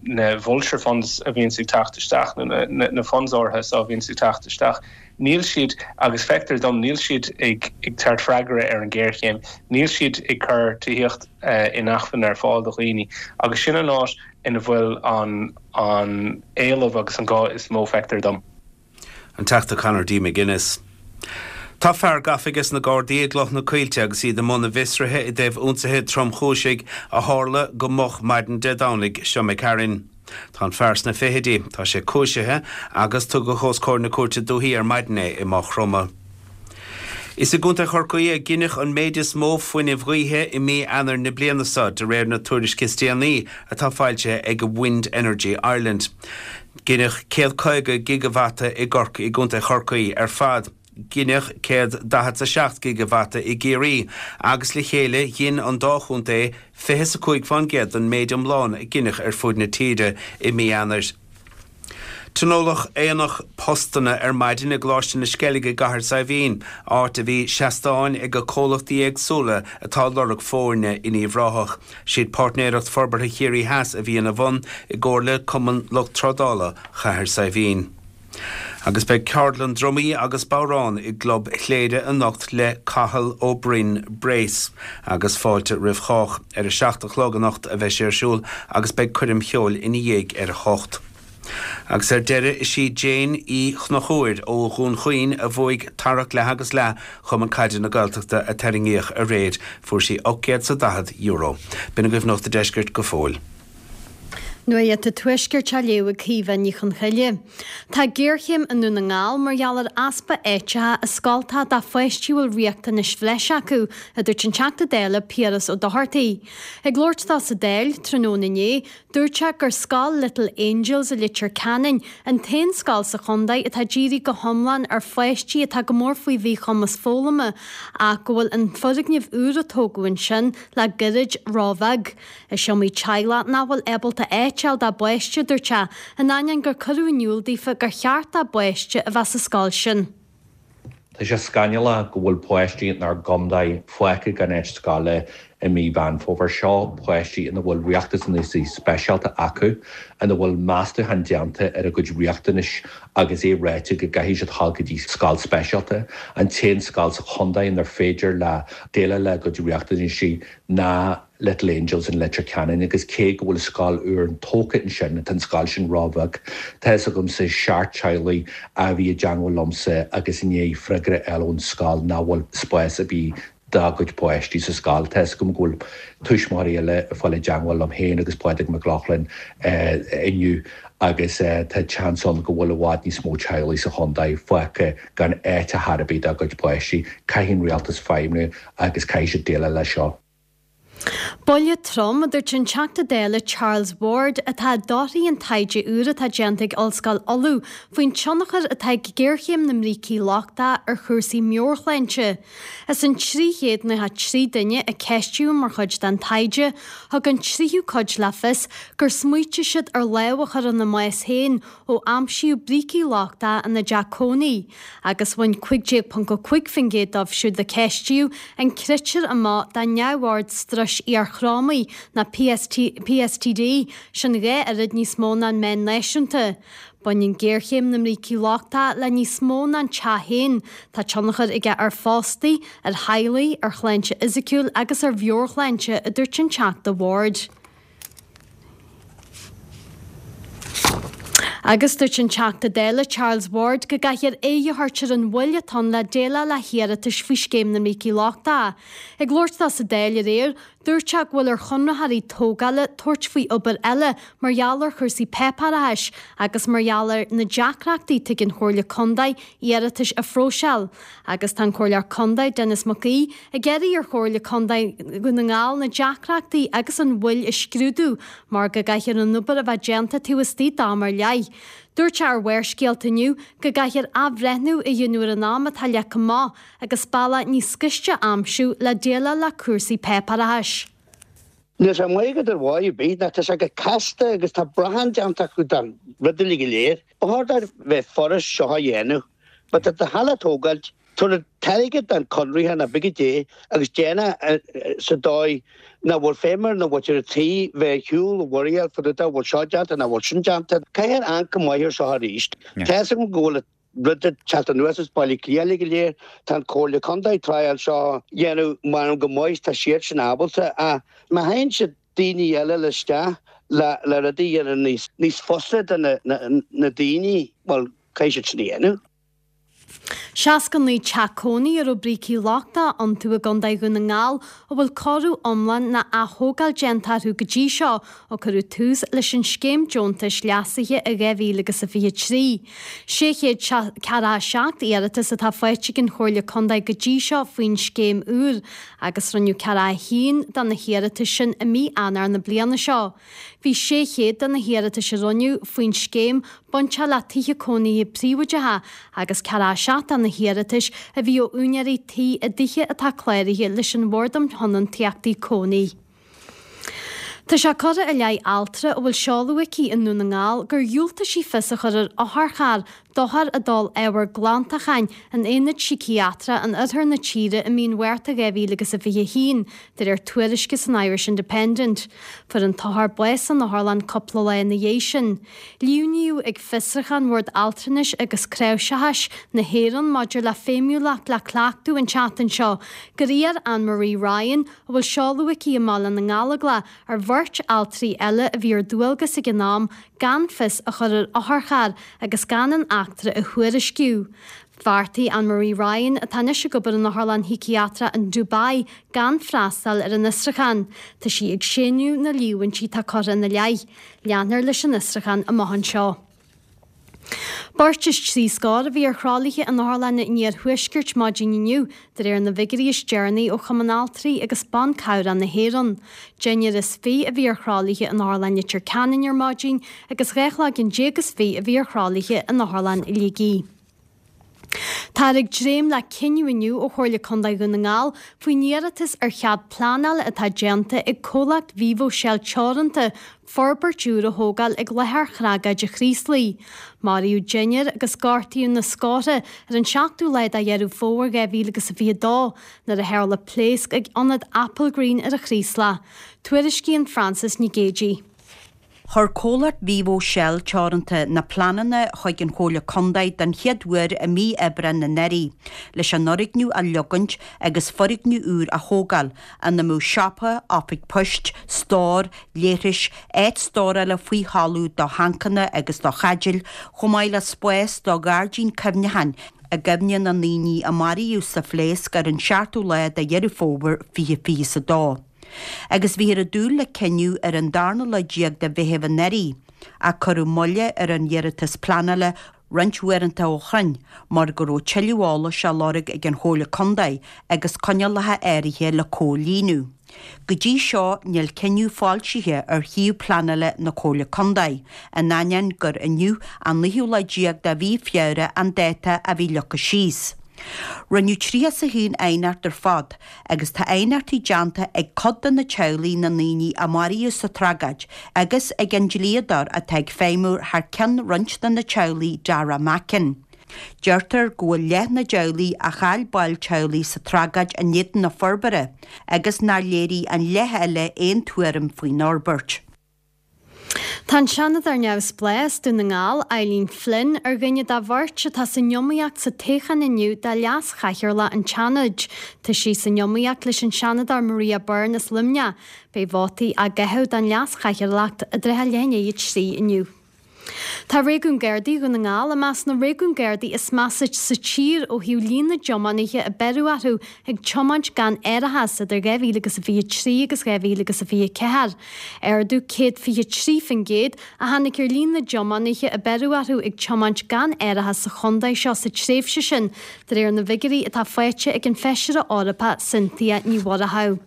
na vulture funds a bhíonns ag teacht isteach, nó na funds áirithe so a bhíonns ag teacht isteach, níl siad, agus feictear dom, níl siad ag tabhairt freagra ar an ghéarchéim, níl siad ag cur tithíocht inacmhainne ar fáil do dhaoine agus sin an áit ina bhfuil an an éileamh agus an gá is mó, feictear dom. An Teachta Conor D. McGuinness. Tá fear gafa ages na Gardaí i gCloich na Coillte agus iad i mbun a bhfiosraithe i dtaobh ionsaithe tromchúisigh a tharla go moch maidin Dé Domhnaigh seo imigh tharainn. Tá an fear sna fichidí, tá sé cúisithe agus tugadh os comhair na Cúirte Dúichí ar maidin é i Maigh Chromtha. Is i gContae Chorcaí a gineadh an méid is mó fuinnimh ghaoithe i mí Eanáir na bliana seo, de réir na tuairisce is déanaí atá foilsithe ag Wind Energy Ireland. Gineadh céad caoga gigeavata i gCorcaigh i gContae Chorcaí ar fad, gineadh céad daichead 's a seacht gigeavata i gCiarraí agus le chéile ghin an dá chontae fiche 's a cúig fán gcéad den méid iomlán a gineadh ar fuaid na tíre i mí Eanáir. Tionóladh aonach postanna ar maidin i gColáiste na Sceilge i gCathair Saidhbhín, áit a bhí seastáin ag comhlachtaí éagsúla atá ag lorg foirne in Uíbh Ráthach. Siad Páirtnéireacht Forbartha Chiarraí Theas a bhí ina bhun i gcomhar le Cumann Lucht Trádála Chathair Saidhbhín. Agus beidh ceardlann drumaí agus bodhrán i gClub Chléire anocht le Cathal Ó Broin Brace agus fáilte roimh chách. Ar a seacht a chlog anocht a bheidh sé ar siúl agus beidh coirm cheoil ina dhiaidh ar a hocht. Agus ar deireadh, is í Jane Uí Chonchúir ó Dhún Chaoin a bhuaigh Tarrac Leath agus Leath Chumann Caide na Gaeltachta a tarraingíodh aréir. Fuair sí ocht gcéad 's a daichead euro. B'in agaibh Nuacht an Deiscirt go fóill. Nuacht an Tuaiscirt á léamh ag Caoimhe Ní Chonchoille. Tá géarchéim i nDún na nGall mar gheall ar easpa áiteacha i scoltacha do pháistí a bhfuil riachtanais bhreise acu, a dúirt an Teachta Dála Piaras Ó Dochartaigh. Ag labhairt dó sa Dáil tráthnóna inné, Dúirt sé gur Scoil Little Angels i Leitir Ceanainn an t-aon scoil sa chontae atá dírithe go hiomlán ar pháistí atá go mór faoi mhíchumas foghlama ach go bhfuil an foirgneamh úr a tógadh ansin le gairid róbheag. Is iomaí teaghlach nach bhfuil ábalta áit a fháil dá bpáiste, a dúirt sé, in ainneoin gur cuireadh in iúl daofa gur cheart dá bpáiste a bheith sa scoil sin. Tá sé scannalach go bhfuil páistí inár gcontae fágtha gan áit scoile i mí Mheán Fómhair. Seo páistí ina bhfuil riachtanaisí speisialta acu, ina bhfuil meastúchán déanta ar a gcuid riachtanais agus é ráite go gcaithfidh siad dul go dtí scoil speisialta. An t-aon scoil sa chontae inar féidir leo déileáil le a gcuid riachtanaisí ná Little Angels in Leitir Ceanainn agus cé go bhfuil scoil úr tógtha ansin, tá an scoil sin róbheag. Tá fhios agamsa seacht teaghlaigh a bhí i dteangmháil liomsa agus i ndiaidh freagra a fháil ón scoil nach bhfuil spás ar bith dá gcuid páistí sa scoil. Tá fhios agam go bhfuil tuismitheoirí eile ag fáil i dteangmháil liom féin agus Pádraig Mac Lochlainn inniu agus tá seans ann go bhfuil i bhfad níos mó teaghlaigh sa chontae fágtha gan áit ar chor ar bith dá gcuid páistí. Caithfidh an rialtas feidhmiú agus caithfidh siad déileáil leis seo. Buille trom, a dúirt an Teachta Dála Charles Ward, atá i dtorthaí an taighde úr atá déanta ag Ollscoil Uladh faoin tionchar atá ag géarchéim na mbrící lochtacha ar chúrsaí meabhairshláinte. As an trí chéad nócha trí duine a ceistíodh mar chuid den taighde, thug an tríú cuid le fios gur smaoitigh siad ar lámh a chur ina mbás féin ó aimsíodh brící lochtacha ina dteach cónaí, agus bhain cúig déag ponc a cúig faoin gcéad dóibh siúd a ceistíodh an critéar amach do neamhord struis iarthrámaigh nó PSTD, sin dhá oiread níos mó ná an meán náisiúnta. Baineann géarchéim na mbrící lochtacha le níos mó ná an teach féin, tá tionchar aige ar phóstaí, ar theaghlaigh, ar shláinte fhisiciúil agus ar mheabhairshláinte, a dúirt an Teachta Ward. Agus dúirt an Teachta Dála Charles Ward go gcaithfear aghaidh a thabhairt ar an mhoill atá ann le déileáil le hiarratais faoi Scéim na mBrící Lochtacha. Ag labhairt dó sa Dáil aréir, dúirt sé go bhfuil ar chonraitheoirí tógála tabhairt faoi obair eile mar gheall ar chúrsaí páipéarachais agus mar gheall ar na deacrachtaí atá ag an Chomhairle Contae iarratais a phróiseáil. Agus tá an Comhairleoir Contae, Denis Mac Aoidh, ag iarraidh ar Chomhairle Contae Dhún na nGall na deacrachtaí agus an mhoill a scrúdú mar go gcaithfear an obair a bheith déanta taobh istigh d'am ar leith. Dúirt sé ar Bharrscéalta inniu go gcaithfear athbhreithniú a dhéanamh ar an am atá leagtha amach agus bealach níos gaiste a aimsiú le déileáil le cúrsaí páipéarachais. Níl sé maith agat ar mhaith ar bith, ná tá sé go casta agus tá brachán déanta acu den rud uilig go léir. Ba chóir dóibh bheith furast seo a dhéanamh. Má tá do halla tógáilt, tabhair an t-airgead don conraitheoir nó pé cad é agus déan é sa dóigh nach bhfuil feidhm ar na mhuintir an tí bheith ar shiúl i bhfuireáil fá dtaobh de bhfuil seo déanta nó bhfuil sin déanta. Caithfear amharc go maith air seo arís. Tá fhios agam go bhfuil rud ag teacht anuas as Baile Átha Cliath uilig go léir. Tá an Comhairle Contae ag triail seo a dhéanamh measaim go maith tá siad sin ábalta ach má théann siad daoine eile le isteach le le rudaí a dhéanamh níos níos fusa do na na daoine, bhuel caithfidh siad sin a dhéanamh. Seasca naoi teach cónaí a raibh brící lochtacha iontu i gContae Dhún na nGall a bhfuil cóiriú iomlán nó ath-thógáil déanta orthu go dtí seo ó cuireadh tús leis an scéim deontais leasaithe i dhá mhíle agus a fiche trí. Sé chéad ceathracha a seacht iarratas atá faighte ag an Chomhairle Contae go dtí seo faoin scéim úr agus rinneadh ceathracha a haon de na hiarratais sin i mí Eanáir na bliana seo. Bhí sé chéad de na hiarratais a rinneadh faoin scéim bainteach le tithe cónaithe príobháideacha agus ceathracha a seacht de na hiarratais a bhí ó úinéirí tí i dtithe atá cláraithe leis an Bhord um Thionóntachtaí Cónaí. Tá sé curtha i leith altra a bhfuil seoladh aici i nDún na nGall gur dhiúltaigh sí fios a chur ar otharcharr d'othar a d'ól ábhar glantacháin in aonad síciatrach in oirthear na tíre i mí an Mhárta dhá mhíle agus a fiche a haon, de réir tuairisce san Irish Independent. Fuair an t-othar bás san otharlann cúpla lá ina dhiaidh sin. Líomhnaíodh ag fiosrúchán Bhord Altranais agus Cnáimhseachais na hÉireann maidir le feidhmiúlacht le cleachtadh an tseachtain seo gur iarr Anne Marie Ryan, a bhfuil seoladh aici i mBaile na nGallóglach, ar bheirt altraí eile a bhí ar dualgas ag an am gan fios a chur ar otharcharr agus gan an eachtra a thuairisciú. Bheartaigh Anne Marie Ryan, atá anois ag obair in otharlann shíciatrach in Dubai, gan freastal ar an fhiosrúchán. Tá sí ag séanadh na líomhaintí atá curtha ina leith. Leanfar leis an fhiosrúchán amach anseo. Beirt is trí scór a bhí ar thralaithe in otharlanna an iarthuaiscirt maidin inniu, de réir na bhfigiúirí is deireanaí ó Chumann Altraí agus Ban Cabhrach na hÉireann. Deichniúr is fiche a bhí ar thralaithe in Otharlann Leitir Ceanainn ar maidin agus dhá chloigeann déag is fiche a bhí ar thralaithe in Otharlann Shligigh. Táthar ag dréim le cinneadh inniu ó Chomhairle Contae Dhún na nGall faoin iarratas ar chead pleanála atá déanta ag comhlacht Vivo Shell Teoranta forbairt úr a thógáil ag láthair thragóide Chraoslaigh. Maraíodh deichniúr agus gortaíodh na scórtha ar an seachtú lá de Dheireadh Fómhair dhá mhíle agus a fiche a dó nuair a tharla pléasc ag ionad Applegreen ar an Chraoslach. Tuairiscíonn Frances Nic Géadaigh. Chuir comhlacht Vivo Shell Teoranta na pleananna chuig an Chomhairle Contae den chéad uair i mí Aibreáin anuraidh, leis an fhoirgneamh a leogaint agus foirgneamh úr a thógáil, ina mbeadh siopa, oifig poist, stór, leithris, áit stórála faoi thalamh do thancanna agus do chaidéil, chomh maith le spás do ghairdín cuimhneacháin i gcuimhne na ndaoine a maraíodh sa phléasc ar an seachtú lá de Dheireadh Fómhair fiche fiche is a dó. Agus bhíothar ag dúil le cinneadh ar an darna lá déag de Mheitheamh anuraidh, ach cuireadh moille ar an iarratas pleanála roinnt uaireanta ó shoin mar go raibh tuilleadh eolais á lorg ag an Chomhairle Contae agus coinníollacha áirithe le comhlíonadh. Go dtí seo níl cinneadh foilsithe ar shuíomh pleanála na Comhairle Contae, in ainneoin gur inniu an naoú lá déag de mhí Feabhra an dáta a bhí leagtha síos. Rinneadh tríocha is a haon aighneacht ar fad agus tá aighneachtaí déanta ag cuid de na teaghlaigh na ndaoine a maraíodh sa tragóid agus ag an dlíodóir atá ag feidhmiú thar ceann roinnt de na teaghlaigh Dara Mackin. Deirtear go bhfuil leath na dteaghlaigh a chaill baill teaghlaigh sa tragóid in éadan na forbartha agus nár léirigh an leath eile aon tuairim faoin fhorbairt. Tá an Seanadóir neamhspleách as Dún na nGall, Eileen Flynn, ar dhuine de bheirt atá san iomaíocht sa toghchán inniu do Leas-Chathaoirleach an tSeanaid. Tá sí san iomaíocht leis an Seanadóir Maria Byrne as Luimneach. Beidh vótaí á gcaitheamh don Leas-Chathaoirleacht i dtrátha leath i ndiaidh a trí inniu. Tá Réigiún Gardaí Dhún na nGall i measc na réigiún Gardaí is measa sa tír ó thaobh líon na dtiománaithe a beireadh orthu ag tiomáint gan árachas idir dhá mhíle agus a fiche trí agus dhá mhíle agus a fiche ceathair. Ardú céad fiche trí faoin gcéad a tháinig ar líon na dtiománaithe a beireadh orthu ag tiomáint gan árachas sa chontae seo sa tréimhse sin, de réir na bhfigiúirí atá faighte ag an Feisire Eorpach Cynthia Ní Mhurchú.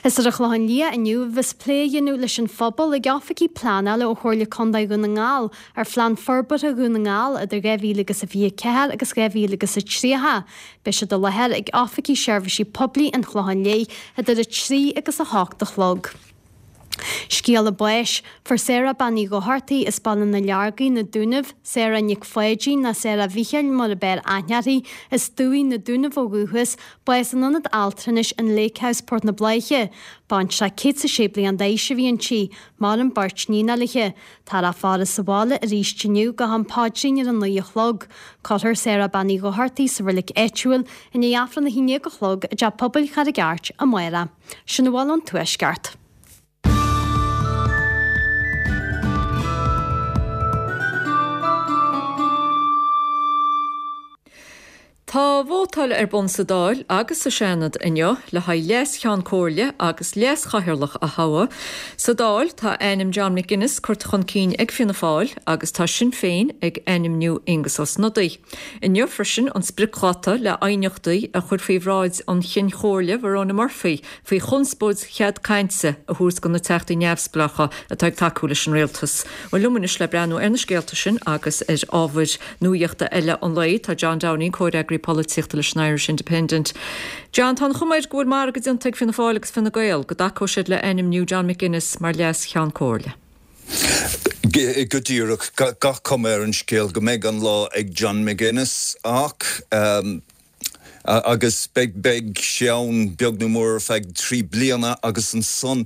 Is ar an Chlochán Liath inniu a bheas plé á dhéanamh leis an phobal ag oifigigh pleanála ó Chomhairle Contae Dhún na nGall ar Phlean Forbartha Dhún na nGall idir dhá mhíle agus a fiche ceathair agus dhá mhíle agus a tríocha. Beidh siad i láthair ag oifigí seirbhísí poiblí an Chlocháin Léith idir a trí agus a hocht a chlog. Scéala báis, Fuair Sarah Bean Uí Dhochartaigh as Baile na Leargaí, Na Dúnaibh, Sarah Nic Pháidín nó Sarah Mhíchíl mar ab fhearr aithne uirthi, as Dumhaigh, Na Dúnaibh ó dhúchas, bás in Ionad Altranais an Lake House, Port na Bláiche. Baintreach céad 's a sé bliain d'aois a bhí inti. Maireann beirt níon léi. Táthar á faire sa bhaile arís inniu go ham paidrín ar a naoi a chlog. Cuirfear Sarah Bean Uí Dhochartaigh sa reilig áitiúil i ndiaidh Aifreann a haon déag a chlog i dTeach Pobail Charraig Airt amárach. Sin a bhfuil ón Tuaisceart. Tá vótáil ar bun sa Dáil agus sa Seanad inniu le haghaidh Leas-Cheann Comhairle agus Leas-Chathaoirleach a thoghadh. Sa Dáil, tá ainm John McGuinness curtha chun cinn ag Fianna Fáil agus tá Sinn Féin ag ainmniú Aengus Ó Snodaigh. Inniu freisin an spriocdháta le aighneachtaí a chur faoi bhráid an Chinn Chomhairle Verona Murphy faoi chonspóid chead cainte a thabhairt do na teachtaí neamhspleácha atá ag tacú leis an rialtas. Bhuel liom anois le breathnú ar na scéalta sin agus ar ábhair nuaíochta eile an lae tá John Downing, comhfhreagraí polaitíochta leis an Irish Independent. John, tá an chuma air go bhfuil margadh déanta ag Fianna Fáil agus Fine Gael go dtacóidh siad le ainmniú John McGuinness mar leas-Cheann Comhairle. Go díreach, gach cuma ar an scéal go mbeidh an lá ag John McGuinness ach agus beidh beidh sé ann beag nó mór ar feadh trí bliana agus ansan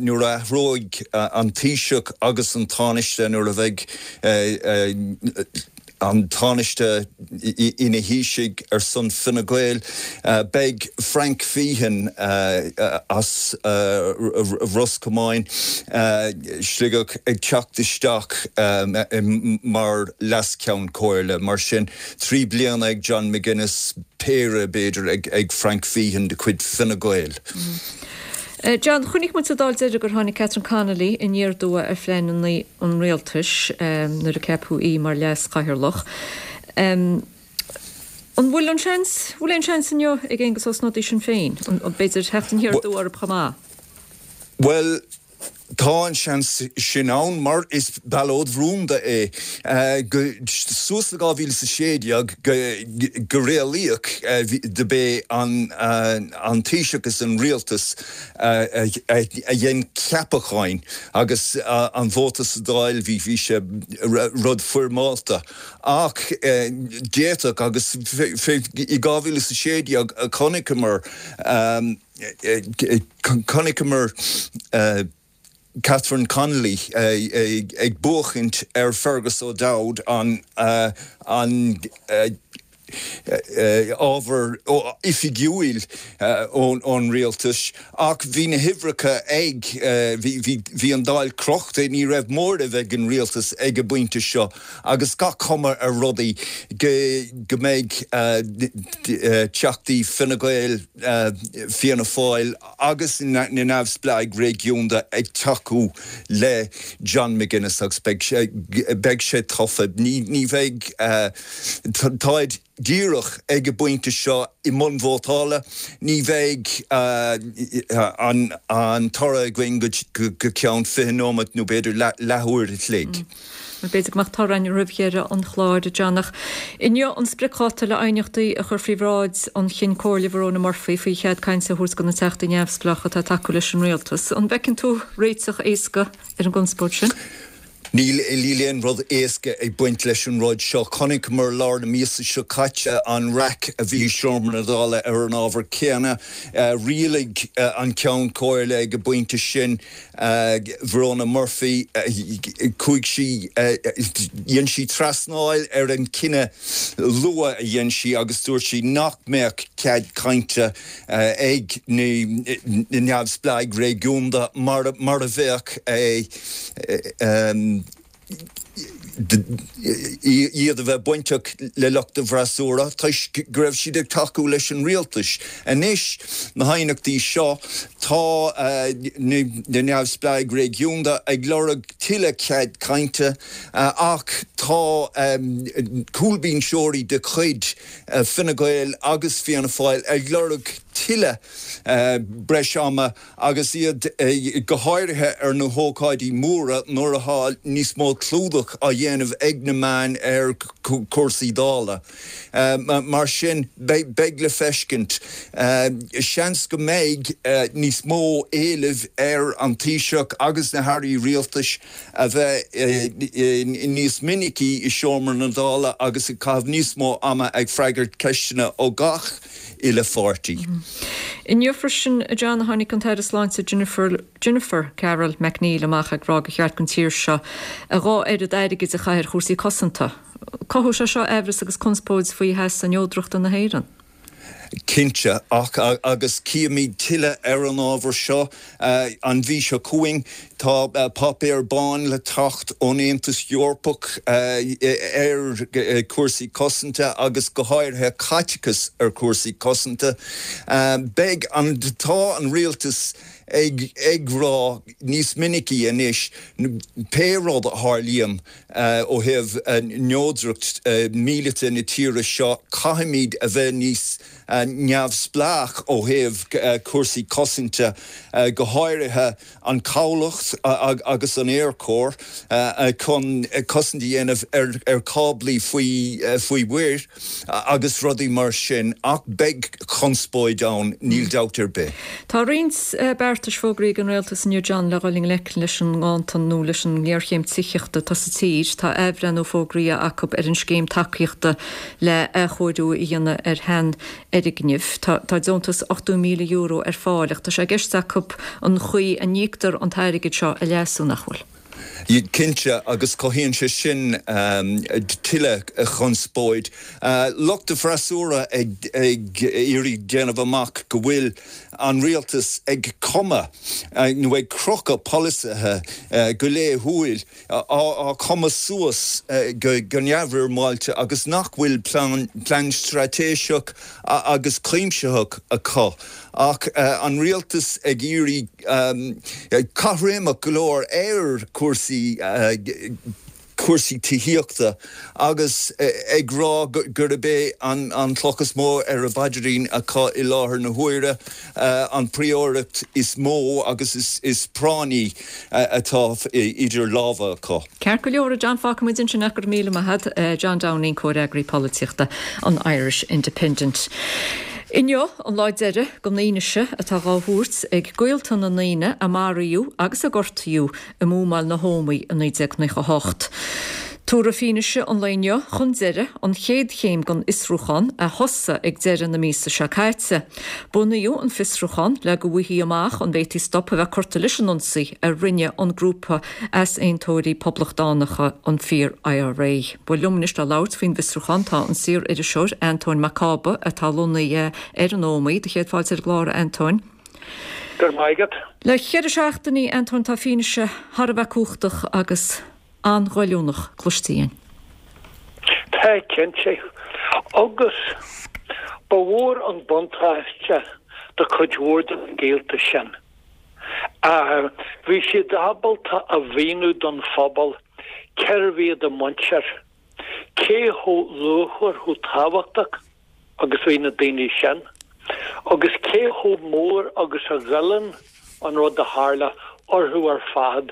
nuair a athróidh an Taoiseach agus an Tánaiste nuair a bheidh an Tánaiste ina Thaoiseach ar son Fine Gael. Beidh Frank Feighan as Ros Comáin, Sligeach ag teacht isteach mar Leas-Cheann Comhairle. Mar sin, trí bliana ag John McGuinness, péire b'fhéidir ag Frank Feighan de chuid Fine Gael. John, chonaic muid sa Dáil deiridh gur tháinig Catherine Connolly aniar aduaidh ar phleananna an rialtais nuair a ceapadh í mar leas-chathaoirleach. An bhfuil an seans, bhfuil aon seans inniu ag Aengus Ó Snodaigh Sinn Féin, b'fhéidir, theacht aniar aduaidh orthu chomh maith? Bhuel, Tá an seans sin ann mar is ballóid rúnda é. Suas le dhá mhíle is a sé déag go réalaíoch do b'é an Taoiseach is an Rialtas a dhein ceapacháin agus an vóta sa Dáil bhí sé rud foirmeálta. Ach d'fhéadfadh agus i dhá mhíle is a sé déag chonaiceamar chonaiceamar Catherine Connolly ag buachaint ar Fergus O'Dowd an an ábhar oifigiúil ón rialtas, ach bhí na huimhreacha ag, bhí an Dáil crochta, ní raibh móramh ag an rialtas ag an bpointe seo agus gach cuma ar rudaí go mbeidh teachtaí Fine Gael, Fianna Fáil agus na neamhspleáigh réigiúnda ag tacú le John McGuinness agus beidh sé tofa. Ní bheidh, táid díreach ag an bpointe seo i mbun vótála, ní bheidh an toradh againn go ceann fiche nóiméad nó b'fhéidir leathuair a chloig. B'fhéidir go mbeadh toradh againn roimh dheireadh an chláir, a John, ach inniu an spriocdháta le aighneachtaí a chur faoi bhráid an Chinn Comhairle Verona Murphy faoi chead cainte a thabhairt do na Teachtaí Neamhspleácha atá ag tacú leis an Rialtas. An bhfeiceann tú réiteach éasca ar an gconspóid sin? Níl aon rud éasca ag baint leis an rud seo. Chonaiceamar lár na míosa seo caite an raic a bhí i seomra na Dála ar an ábhar céanna. Rialaigh an Ceann Comhairle ag an bpointe sin, Verona Murphy, chuaigh sí, dhein sí trasnáil ar an cinneadh luath a dhein sí agus dúirt sí nach mbeadh cead cainte ag na neamhspleáigh réigiúnda mar a bheadh iad a bheith bainteach le lucht an bhfreasúra toisc go raibh siad ag tacú leis an rialtas. Anois, na haighneachtaí seo, tá na neamhspleáigh réigiúnda ag lorg tuilleadh cead cainte ach tá cúlbhinseoirí de chuid Fine Gael agus Fianna Fáil ag lorg tuilleadh breis ama agus iad go háirithe ar na hócáidí móra nuair atá níos mó clúdach á dhéanamh ag na meáin ar chúrsaí Dála. Mar sin, beidh le feiscint. Seans go mbeidh níos mó éilimh ar an Taoiseach agus na hairí rialtais a bheith níos minicí i seomra na Dála agus ag caitheamh níos mó ama ag freagairt ceisteanna ó gach uile pháirtí. Inniu freisin, a John, a tháinig an tAire Sláinte Jennifer Jennifer Carroll MacNeill amach ag rá gur cheart don tír seo a dhá oiread airgid a chaitheamh ar chúrsaí cosanta. Cothóidh sé seo aimhreas agus conspóid faoi sheasamh neodrachta na hÉireann. Cinnte, ach agus cífimid tuilleadh ar an ábhar seo an mhí seo chugainn. Tá páipéar bán le teacht ón Aontas Eorpach ar chúrsaí cosanta agus go háirithe caiteachas ar chúrsaí cosanta. Beidh an, tá an rialtas ag ag rá níos minicí anois pé rud a tharlaíonn ó thaobh neodracht míleata na tíre seo, caithfimid a bheith níos neamhspleách ó thaobh cúrsaí cosanta, go háirithe an cabhlach agus an Aerchór chun cosaint a dhéanamh ar cáblaí faoi mhuir agus rudaí mar sin, ach beidh conspóid ann, níl dabht ar bith. Tá roinnt beartais fógraithe ag an Rialtas inniu, John, le dhul i ngleic leis an nganntan nó leis an ngéarchéim tithíochta atá sa tír. Tá athbhreithniú fógraithe acu ar an scéim tacaíochta le athchóiriú a dhéanamh ar sheanfhoirgnimh. Tá deontas ochtó míle euro ar fáil ach tá sé i gceist acu an chaoi a n-íoctar an t-airgead seo a leasú, nach bhfuil? Cinnte, agus cothaíonn sé sin tuilleadh conspóid. Lucht an fhreasúra ag iarraidh déanamh amach go bhfuil an rialtas ag cumadh nó ag crochadh polasaithe go laethúil, á cumadh suas go neamhfhoirmeáilte agus nach bhfuil plean straitéiseach agus cuimsitheach acu. Ach an rialtas ag iarraidh caithréimeach go leor ar chúrsaí cúrsaí tithíochta agus ag rá gurb é an chloch is mó ar a bpaidrín acu i láthair na huaire an phríóireacht is mó agus is práinní atá idir lámha acu. Ceart go leor, a John, fágfaidh muid ansin é, go raibh míle maith agat, John Downing, Comhfhreagraí Polaitíochta an Irish Independent. Inniu an lá deiridh don fhianaise atá dhá thabhairt ag gaolta na ndaoine a maraíodh agus a gortaíodh i mbuamáil na hÓmaí i naoi déag nócha a hocht. Tabharfar fianaise an lae inniu chun deiridh an chéad chéim den fhiosrúchán a thosaigh ag deireadh na míosa seo caite. Bunaíodh an fiosrúchán le go bhfaighfí amach an bhféadfaí stop a bheith curtha leis an ionsaí a rinne an grúpa easaontóirí poblachtánacha an Fíor IRA. Bhuel liom anois le labhairt faoin bhfiosrúchán tá an saor-iriseoir Antóin Mac Cába atá lonnaithe ar an Ómaigh. Do chéad fáilte ar an gclár, a Antóin. Go raibh maith agat. Le ceithre seachtainí, Antóin, tá fianaise thar a bheith cumhachtach agus an-ghoilliúnach cloiste againn. Tá, cinnte. Agus ba mhór an buntáiste do chuid mhór de na gaolta sin. Bhí siad ábalta a mhíniú don phobal cérbh iad a muintir, cé chomh luachmhar, chomh tábhachtach agus bhí na daoine sin, agus cé chomh mór agus a ghoilleann an rud a tharla orthu ar fad,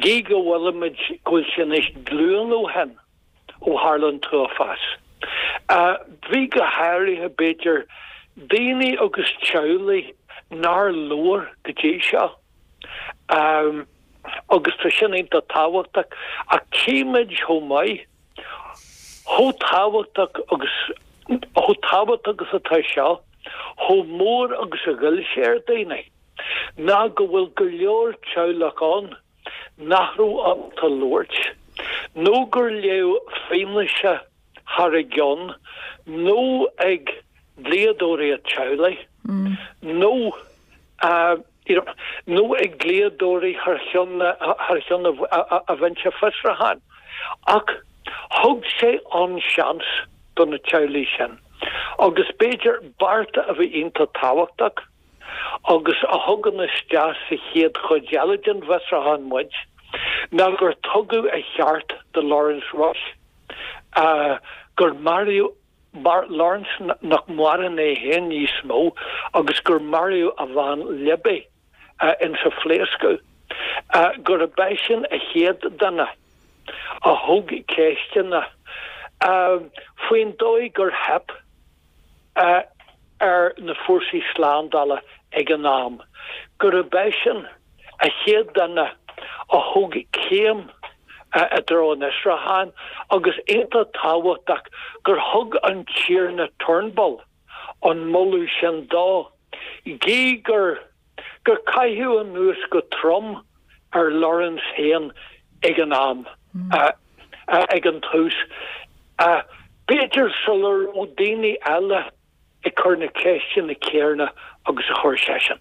gí go bhfuilimid, go bhfuil sé anois glúin ó shin ó tharla an t-uafás. Bhí go háirithe, b'fhéidir, daoine agus teaghlaigh nár labhair go dtí seo, agus tá sin iontach tábhachtach, ach tchímid chomh maith, chomh tábhachtach agus, chomh tábhachtach agus atá seo, chomh mór agus a ghoill sé ar daoine. ná go bhfuil go leor teaghlach ann nach raibh ábalta labhairt, nó gur léadh fianaise thar a gceann, nó ag dlíodóirí an teaghlaigh, nó you know, nó ag dlíodóirí thar cheann thar cheann an bhinse fiosrúcháin. Ach thug sé an seans do na teaghlaigh sin, agus b'fhéidir bearta a bhí iontach tábhachtach, agus a thugann isteach sa chéad chuid eile den bhfiosrúchán muid, ná gur tugadh a cheart do Laurence Rushe, gur maraíodh Laurence, nach maireann é féin níos mó, agus gur maraíodh a bhean Libby insa phléascadh, gurb eisean a chéad duine a thóg ceisteanna faoin dóigh gur theip ar na fórsaí slándála ag an am, gurb eisean a chéad duine a thóg céim i dtreo an fhiosrúcháin agus iontach tábhachtach gur thug an Tiarna Turnbull an moladh sin dó, gí gur gur caitheadh anuas go trom ar Laurence féin ag an am, ag an tús, b'fhéidir sula raibh daoine eile ag cur na ceisteanna céarna agus a chuir seisean.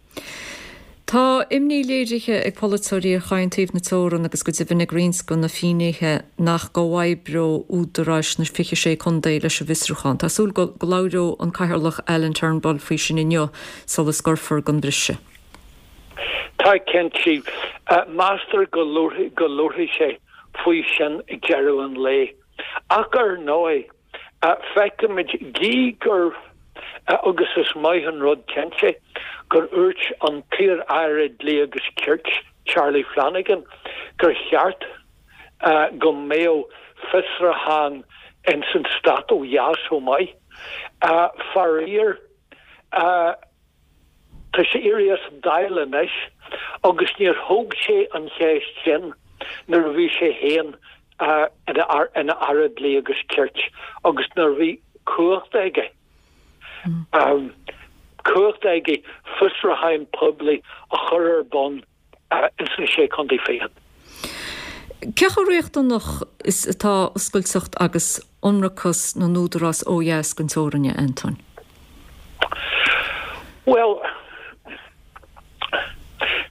Tá imní léirithe ag polaiteoirí ar chaon taobh na teorann agus go deimhin ag roinnt de na finnéithe nach gcomhoibreodh údaráis na fiche sé contae leis an bhfiosrúchán. Tá súil go labhróidh an Cathaoirleach Alan Turnbull faoi sin inniu sula scoirfear don bhriseadh. Tá, cinnte. Meastar go labharfaidh sé faoi sin ag deireadh an lae. Ach ar ndóigh, feicimid gí gur, agus is maith an rud cinnte, gur úirt an t-iar-aire Dlí agus Cirt, Charlie Flanagan, gur cheart go mbeadh fiosrúchán ins an stát ó dheas chomh maith. Faraor, Tá sé éirithe as an Dáil anois agus níor thóg sé an cheist sin nuair a bhí sé féin ina Aire Dlí agus Cirt agus nuair a bhí cumhacht aige, cumhacht aige fiosrúchán poiblí a chur ar bun ins na Sé Chontae Fichead. Cé chomh riachtanach is atá oscailteacht agus ionracas na n-údarás ó dheas den teorainn, a Antóin? Bhuel,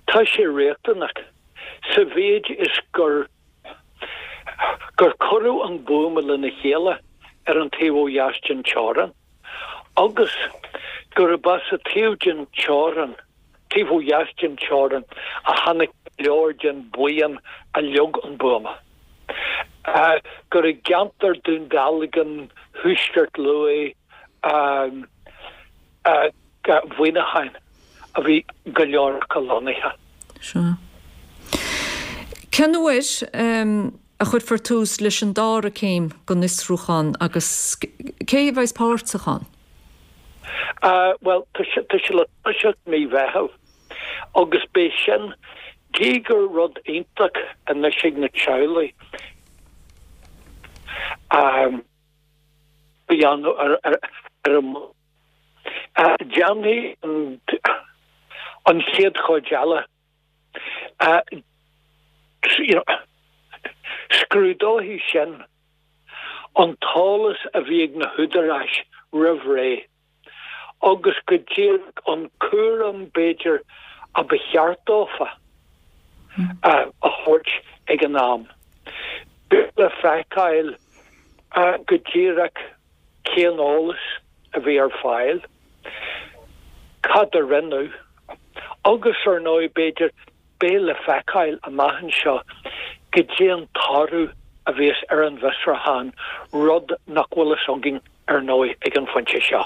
tá sé riachtanach sa mhéid is gur gur cuireadh an buama lena chéile ar an taobh ó dheas den teorainn agus gurb as an taobh den teorainn, taobh ó dheas den teorainn, a tháinig go leor den bhuíon a leag an buama. Gur i gceantar Dún Dealgan, Thuaisceart Lú, Mhuineacháin a bhí go leor acu lonnaithe. Sea. Cén uair a chuirfear tús leis an dara céim den fhiosrúchán agus cé a bheas páirteach ann? Bhuel, tá sé le toiseacht mí Mheithimh agus beidh sin, gí gur rud iontach anois ag na teaghlaigh, a dhéanamh ar ar an Déanfaidh an chéad chuid eile you know scrúdóidh sin an t-eolas a bhí ag na húdaráis roimh ré agus go díreach an cúram b'fhéidir a ba cheart dófa a thabhairt ag an am. Beidh le feiceáil go díreach cén eolas a bhí ar fáil, cad a rinneadh agus ar ndóigh b'fhéidir beidh le feiceáil amach anseo goidé an toradh a bheas ar an bhfiosrúchán, rud nach bhfuil fhios againn ar ndóigh ag an phointe seo.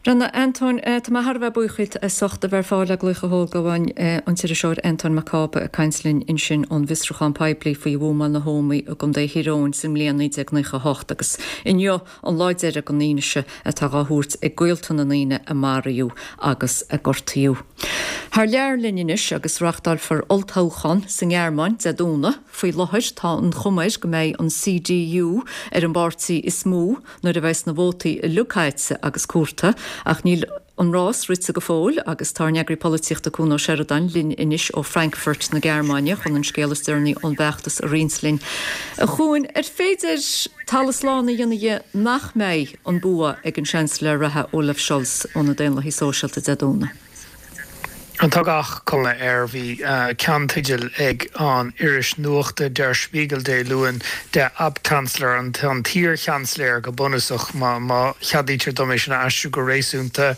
Bhuel, a Antóin, tá mé thar a bheith buíoch díot as ucht a bheith ar fáil le glaoch a thógáil, an t-iriseoir Antóin Mac Cába ag caint linn ansin ón bhfiosrúchán poiblí faoi bhuamáil na hÓmaí i gContae Thír Eoghain sa mbliain naoi déag naocha a hocht agus inniu an lá deiridh don fhianaise atá dhá thabhairt ag gaolta na ndaoine a maraíodh agus a gortaíodh. Thar lear linn anois agus reáchtálfar olltoghchán sa nGearmáin Dé Domhnaigh. Faoi láthair tá an chuma air go mbeidh an C D U ar an bpáirtí is mó nuair a bheas na vótaí uilig caite agus comhairte, ach níl an rás rite go fóill agus tá ár n-eagraí polaitíochta Cuan Ó Seireadáin linn anois ó Frankfurt na Gearmáine chun an scéal is deireanaí ón bhfeachtas a roinnt linn. A Chuain, ar féidir talamh slán a dhéanamh dhe nach mbeidh an bua ag an Seansailéir reatha Olaf Scholz ó na Daonlathaigh Sóisialta Dé Domhnaigh? Tá gach cuma air. Bhí ceannteideal ag an iris nuachta Der Spiegel Dé Luain, Der Ab-Kanzler, an an t-iar-sheansailéir go bunúsach, má má cheadaítear dom é sin a aistriú go réasúnta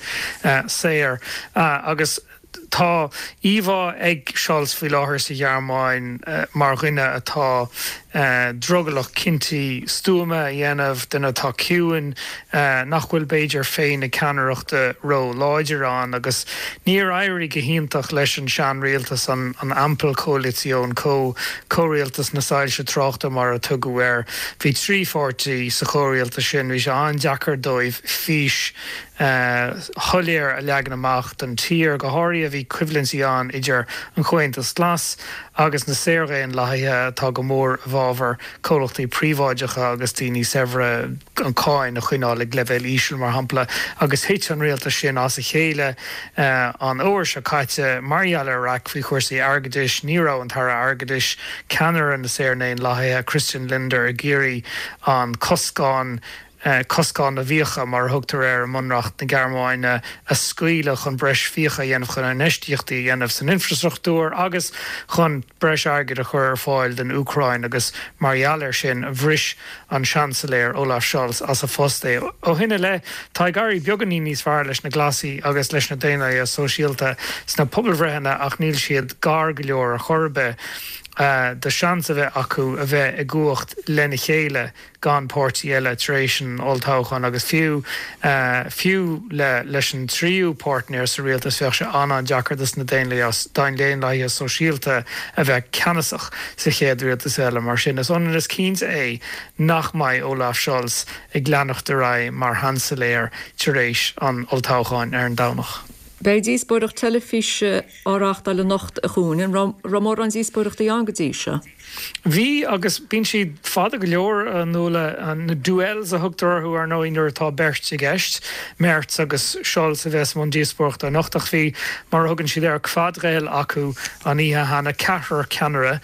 saor. Agus tá íomhá ag Scholz faoi láthair sa Ghearmáin mar dhuine atá drogallach cinntí stuama a dhéanamh, duine atá ciúin, nach bhfuil b'fhéidir féith na ceannaireachta ró-láidir ann, agus níor éirigh go hiontach leis an seanrialtas, an an Ampelkoalition, có comhrialtas na soilse tráchta mar a tugadh air. Bhí trí pháirtí sa chomhrialtas sin, bhí sé an-deacair dóibh fís shoiléir a leagan amach don tír, go háirithe bhí coimhlintí ann idir an Comhaontas Glas agus na Saordhaonlathaithe atá go mór i bhfabhar comhlachtaí príobháideacha agus daoine saibhre, an cáin a choinneáil ag leibhéal íseal mar shampla, agus thit an rialtas sin as a chéile an uair seo caite mar gheall ar raic faoi chúrsaí airgeadais. Ní raibh an tAire Airgeadais, ceannaire na Saordhaonlathaithe, Christian Lindner, ag iarraidh an coscán, coscán na bhfiacha mar a thugtar air i mBunreacht na Gearmáine, a scaoileadh chun breis fiacha a dhéanamh chun infheistíochtaí a dhéanamh san infreastruchtúr agus chun breis airgid a chur ar fáil don Úcráin, agus mar gheall air sin bhris an Seansailéir Olaf Scholz as a phost é. Ó shin i leith tá ag éirí beagáinín níos fearr leis na Glasaigh agus leis na Daonlathaithe Sóisialta sna pobalbhreitheanna, ach níl siad gar go leor ar chor ar bith do seans a bheith acu a bheith i gcumhacht lena chéile gan páirtí eile tar éis an olltoghcháin, agus fiú fiú le leis an tríú páirtnéir sa rialtas bheadh sé an-an-deacair dos na Daonlathaithe Sóisialta a bheith ceannasach sa chéad rialtas eile. Mar sin is ionann is cinnte é nach mbeidh Olaf Scholz ag leanacht ar aghaidh mar sheansailéir tar éis an olltoghcháin ar an Domhnach. Beidh díospóireacht teilifíse á reáchtáil anocht, a Chuain. An raibh mórán díospóireachtaí ann go dtí seo? Bhí, agus bíonn siad fada go leor, a Nuala, na duels a thugtar orthu ar ndóigh nuair atá beirt i gceist, Merz agus Scholz a bheas i mbun díospóireachta anocht, ach bhí, mar a thugann siad air, quadrell acu an oíche cheana, ceathrar ceannaire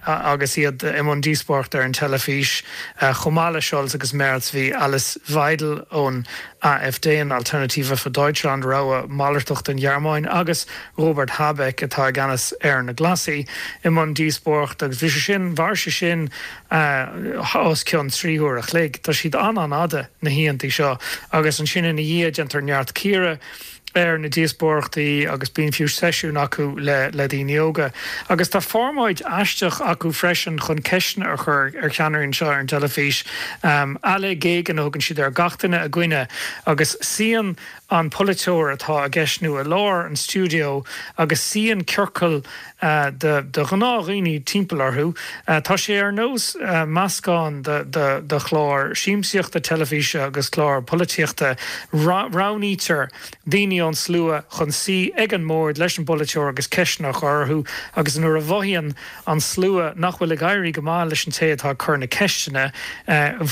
agus iad i mbun díospóireachta ar an teilifís. Chomh maith le Scholz agus Merz bhí Alice Weidel ón A F D, an Alternative für Deutschland, rogha malartach don Ghearmáin, agus Robert Habeck atá i gceannas ar na Glasaigh i mbun díospóireachta, agus bhí sé sin, mhair sé sin os cionn trí huaire a chloig. Tá siad an-an-fhada, na hoícheantaí seo, agus ansin ina dhiaidh déantar neart cíoradh ar na díospóireachtaí agus bíonn fiú seisiún acu le le daoine óga. Agus tá formáid aisteach acu freisin chun ceisteanna a chur ar cheannairí anseo ar an teilifís. Alle gegen a thugann siad air, gach duine i gcoinne, agus suíonn an polaiteoir atá i gceist nó i lár an stiúideo agus suíonn ciorcal de de ghnáthdhaoine timpeall orthu. Tá sé ar nós meascán de de de chlár siamsaíochta teilifíse agus clár polaitíochta. Roghnaítear daoine ón slua chun suí ag an mbord leis an bpolaiteoir agus ceisteanna a chur orthu agus nuair a mhothaíonn an slua nach bhfuil ag éirí go maith leis an té atá ag cur na ceisteanna,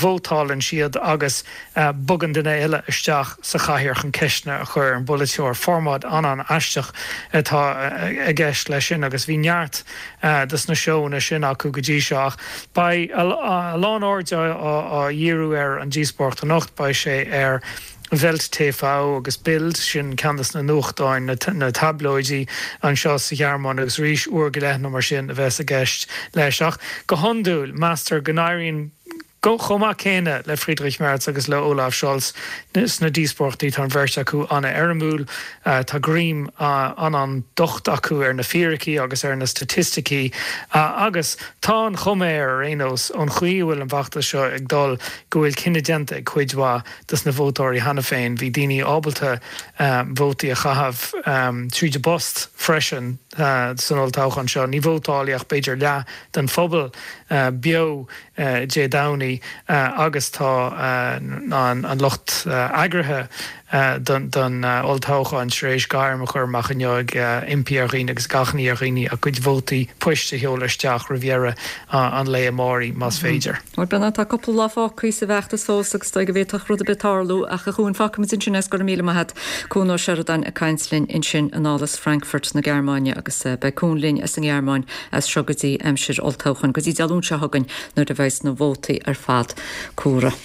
vótálann siad agus bogann duine eile isteach sa chathaoir chun ceisteanna a chur ar an bpolaiteoir. Formáid an-an-aisteach atá i gceist leis sin agus bhí neart dos na seóanna sin acu go dtí seo ach beidh a lán airde á dhíriú ar an díospóireacht anocht, beidh sé ar Welt TV agus Bild, sin ceann des na nuachtáin, na tablóidí anseo sa Ghearmáin agus arís uair go leith nó mar sin a bheas i gceist leis. Ach go hiondúil, meastar go n-éiríonn chomh maith céanna le Friedrich Merz agus le Olaf Scholz sna díospóireachtaí. Tá an bheirt acu an-éirimiúil, tá greim an-an-docht acu ar na fíricí agus ar na staitisticí agus tá an chuma air, ar aon nós, ón chaoi a bhfuil an feachtas seo ag dul, go bhfuil cinneadh déanta ag cuid mhaith dos na vótóirí cheana féin. Bhí daoine ábalta vótaí a chaitheamh tríd an bpost freisin san olltoghchán seo. Ní vótálfaidh ach b'fhéidir leath den phobal beo Dé Domhnaigh agus tá an lucht eagraithe don olltoghchán tar éis gairm a chur amach inniu ag impí ar dhaoine agus ag achainí ar dhaoine a gcuid vótaí poist a sheoladh isteach roimh dheireadh an lae amáirigh más féidir. Bhuel, Breandán, tá cúpla lá fágtha sa bhfeachtas fós agus is dóigh go bhféadfadh rud ar bith tarlú ach a Chuain, fágfaimid ansin é is go raibh míle maith agat. Cuan Ó Seireadáin ag caint linn ansin anall as Frankfurt na Gearmáine agus beidh Cuan linn as an nGearmáin as seo go dtí aimsir olltoghcháin, go dtí Dé Luain seo chugainn nuair a bheidh na vótaí ar fad comhairthe.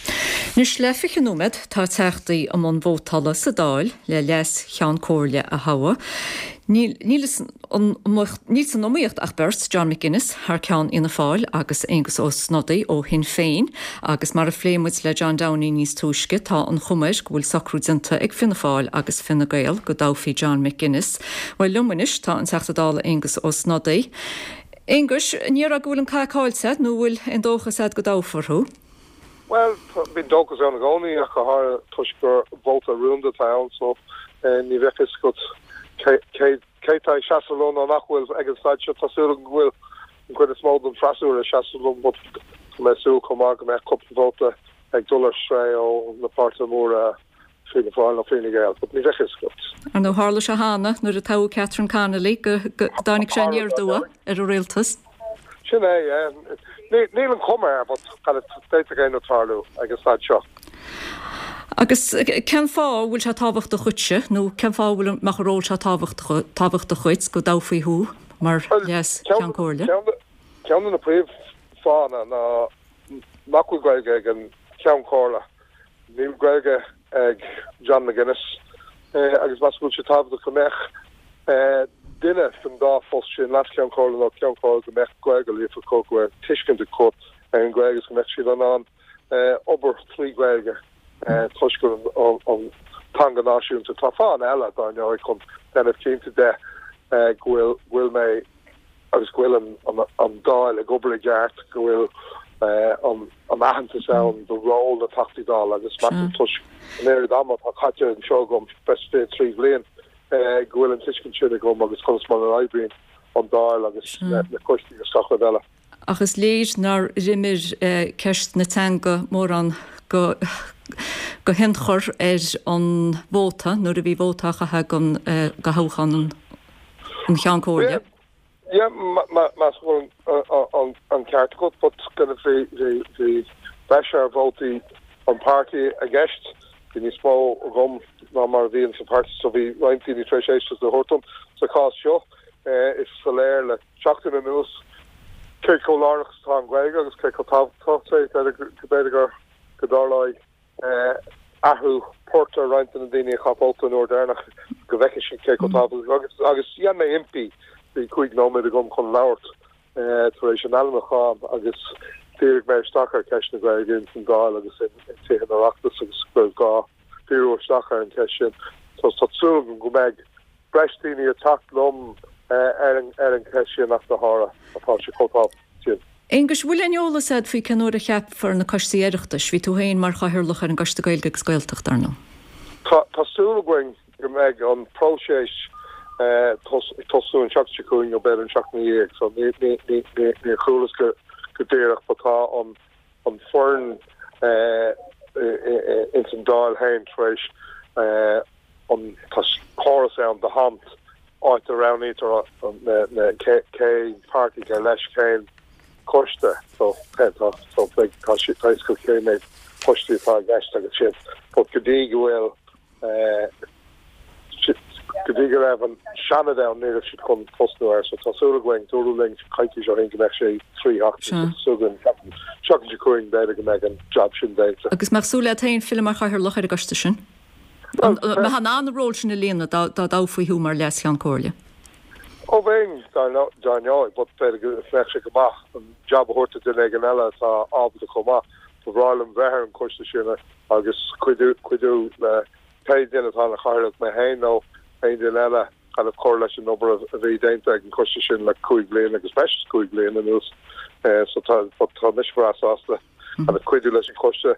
Anois le fiche nóiméad tá teachtaí i mbun vótála sa Dáil le Leas-Cheann Comhairle a thoghadh. Níl san iomaíocht ach beirt, John McGuinness thar ceann Fhianna Fáil agus Aengus Ó Snodaigh ó Shinn Féin agus mar a phléigh muid le John Downey níos túisce tá an chuma air go bhfuil socrú déanta ag Fianna Fáil agus Fine Gael go dtoghfaí John McGuinness. Bhuel liom anois tá an Teachta Dála Aengus Ó Snodaigh. Aengus, an ndéarfá go bhfuil an cath caillte agat nó an bhfuil aon dóchas agat go dtoghfar thú? Bhuel, bíonn dóchas ann i gcónaí ach go háirithe toisc gur vóta rúnda atá ann so ní bheadh fhios agat cé cé tá ag seasamh leo nó nach bhfuil ag an staid seo. Tá súil agam go bhfuil an chuid is mó den freasúra ag seasamh liom but tá mé ag súil chomh maith go mbeadh cúpla vóta ag dul ar strae ó na páirtithe móra Fianna Fáil nó Fine Gael, but ní bheadh fhios agat. Ar ndóigh, tharla sé cheana nuair a toghadh Catherine Connolly go dtáinig sé aniar aduaidh ar an rialtas. Sin é, yeah. Níl an chuma air, but d'fhéadfadh aon rud tarlú ag an staid seo. Agus cén fáth a bhfuil sé tábhachtach dhuitse, nó cén fáth a bhfuil mbeadh an ról seo tábhachtach dhuit, go dtoghfaí thú mar Leas-Cheann Comhairle? Ceann de na príomhfháthanna ná nach bhfuil Gaeilge ag an Cheann Comhairle. Níl Gaeilge ag John McGuinness agus measaim go bhfuil sé tábhachtach go mbeadh duine san dá phost sin, Leas-Cheann Comhairle nó Ceann Comhairle, go mbeadh Gaeilge líofa acu, go mbeadh tuiscint acu ar an Ghaeilge agus go mbeadh siad in ann obair trí Ghaeilge toisc gur an teanga náisiúnta. Tá fáthanna eile, dar ndóigh, chun déanamh cinnte de go bhfuil mé agus go bhfuil an Dáil ag obair i gceart, go bhfuil an aitheantas ann do ról na dTeachtaí Dála agus measaim toisc an oiread ama atá caite anseo agam, breis is fiche trí bhliain, go bhfuil an tuiscint sin agam agus conas mar a oibríonn an Dáil agus na coistí agus gach rud eile. Ach is léir nár imir ceist na teanga mórán go go hionchur ar an vóta nuair a bhí vóta á chaitheamh do thoghchán an Cheann Comhairle. Yeah, measaim go bhfuil an ceart agat, but kind of bhí bhí breis ar vótaí an páirtí i gceist, bhí níos mó agam ná mar a bhíonn sa pháirtí so bhí roinnt daoine tar éis éisteacht a thabhairt dom. Sa chás seo, is soiléir le seachtain anuas cé chomh lárnach is atá an Ghaeilge agus cé chomh tábhachtach é, b'fhéidir go dtarlóidh athrú poirt ar roinnt de na daoine a chaith vóta an uair deireanach go bhfeicfidh siad cé chomh tábhachtach agus agus dhein mé impí, bhí cúig nóiméad agam chun labhairt tar éis an ainmniúcháin agus dhírigh mé isteach ar cheist na Gaeilge ins an Dáil agus in Tithe an Oireachtais agus go raibh gá díriú isteach ar an cheist sin. So tá súil agam go mbeidh breis daoine ag teacht liom ar an ar an cheist sin ach go háirithe atá sé chomh tábhachtach sin. Aonghus, bhfuil aon eolas agat faoi cén uair a cheapfar na coistí Oireachtais? Bhí tú féin mar chathaoirleach ar an gCoiste Gaeilge agus Gaeltachta, ar ndóigh. Tá tá súil againn go mbeidh an próiseas ag tosú an tseachtain seo chugainn nó b'fhéidir an tseachtain ina dhiaidh, so ní ní ní ní níor chualas go go díreach but tá an an foireann ins an Dáil féin tar éis an tá córas ann The Amt áit a roghnaítear na na cé cén páirtí ar leis cén coiste so tá so beidh tá sé tá go cé méid poistí atá i gceist agus sin but go dtí go bhfuil go dtí go raibh an Seanad ann ní raibh siad chun tosnú air so tá súil againn dúradh linn coicís ó shin go mbeadh sé trí sheachtain so súil againn seachtain seo chugainn b'fhéidir go mbeidh an job sin déanta. Agus mbeadh súil leat féin filleadh mar chathaoirleach ar an gcoiste sin? An mbeifeá in ann an ról sin a líonadh dá dá dtoghfaí thú mar Leas-Cheann Comhairle? Ó bheinn dar ndóigh but b'fhéidir go mbeadh sé go maith an job a thabhairt do duine éigin eile atá ábalta chomh maith. Ba bhreá liom bheith ar an gcoiste sin agus cuidiú cuidiú le pé duine atá ina chathaoirleach, mé féin nó aon duine eile, kind of cur leis an obair a bhí déanta ag an gcoiste sin le cúig bliana agus breis is cúig bliana anuas. So tá tá mise breá sásta kind of cuidiú leis an gcoiste.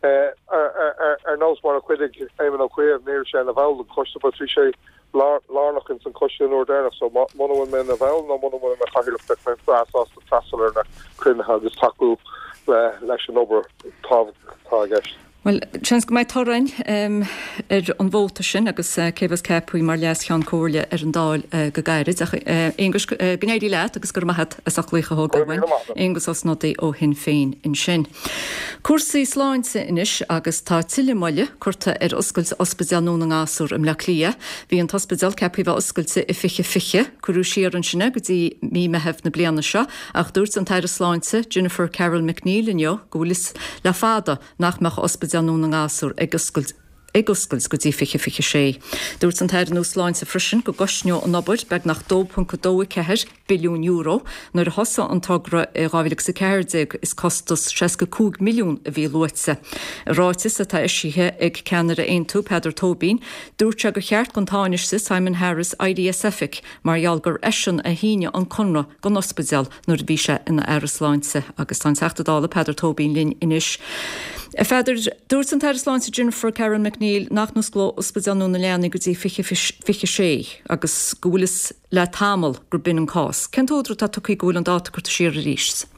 Ar nós mar a chuidigh Éamon Ó Cuív, ní raibh sé ina bhall den choiste but bhí sé lárnach ins an choiste an uair deireanach so muna bhfuil mé ina bhall nó muna bhfuil mé chathaoirleach beidh mé breá sásta freastal ar na cruinnithe agus tacú le leis an obair tábhachtach atá i gceist. Bhuel, seans go mbeidh toradh ar an vóta sin agus cé bheas ceaptha mar Leas-Cheann Comhairle ar an Dáil go gairid. Ach Aonghus, go n-éirí leat agus go raibh maith agat as ucht glaoch a thógáil uainn. Aonghus Ó Snodaigh ó Shinn Féin ansin. Cúrsaí sláinte anois agus tá tuilleadh moille curtha ar oscailt Ospidéal Nua na nGasúr i mBleá Cliath. Bhí an t-ospidéal ceaptha a bheith oscailte i fiche fiche. Cuireadh siar ansin é go dtí mí Meitheamh na bliana seo ach dúirt an tAire Sláinte Jennifer Carroll MacNeill inniu go bhfuil fhios le fada nach mbeadh Ospidéal Nua na nGasúr ag oscailt ag oscailt go dtí fiche fiche sé. Dúirt an tAire nua Sláinte freisin go gcosnódh an obair beagnach dó ponc a dó a ceathair billiún euro nuair a thosaigh an togra i dhá mhíle agus a ceathair déag is costas seasca cúig milliún a bhí luaite. I ráiteas atá eisithe ag ceannaire Aontú Peadar Tóibín, dúirt sé gur cheart don Tánaiste Simon Harris éirí as oifig mar gheall gur eisean a shínigh an conradh don ospidéal nuair a bhí sé ina Aire Sláinte agus tá an Teachta Dála Peadar Tóibín linn anois. A Pheadair, dúirt an tAire Sláinte Jennifer Carroll MacNeill nach n-osclódh Ospidéal Nua na Leanaí go dtí fiche fiche sé agus go bhfuil fhios le tamall gur b'in an cás. Cén t-údar atá tugtha go bhfuil an dáta curtha siar arís?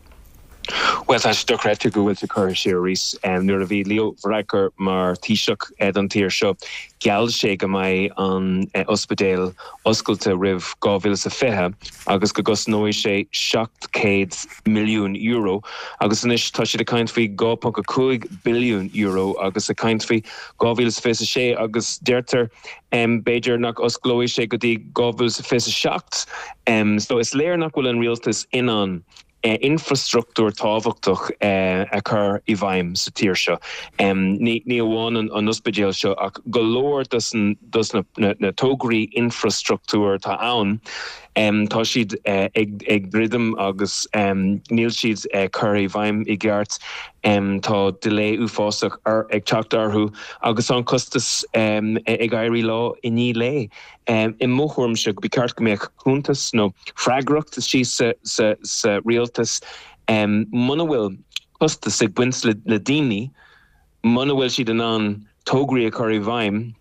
Bhuel, tá sé dochreidte go bhfuil sé curtha siar arís. Nuair a bhí Leo Varadkar mar Thaoiseach don tír seo, gheall sé go mbeidh an ospidéal oscailte roimh dhá mhíle is a fiche agus go gcosnóidh sé seacht céad milliún euro agus anois tá siad ag caint faoi dhá ponc a cúig billiún euro agus ag caint faoi dhá mhíle is fiche a sé agus deirtear b'fhéidir nach osclóidh sé go dtí dhá mhíle is fiche a seacht. So is léir nach bhfuil an rialtas in ann infrastruchtúr tábhachtach a chur i bhfeidhm sa tír seo. Ní amháin an ospidéal seo ach go leor dos na tograí infrastruchtúir atá ann, tá siad ag druidim agus níl siad curtha i bhfeidhm i gceart. Tá delay uafásach ag teacht orthu agus tá an costas ag éirí lá i ndiaidh lae. I mo thuairimse ba cheart go mbeadh cuntas nó freagracht istigh sa sa rialtas muna bhfuil costas ag baint le daoine, muna bhfuil siad in ann tograí a chur i bhfeidhm,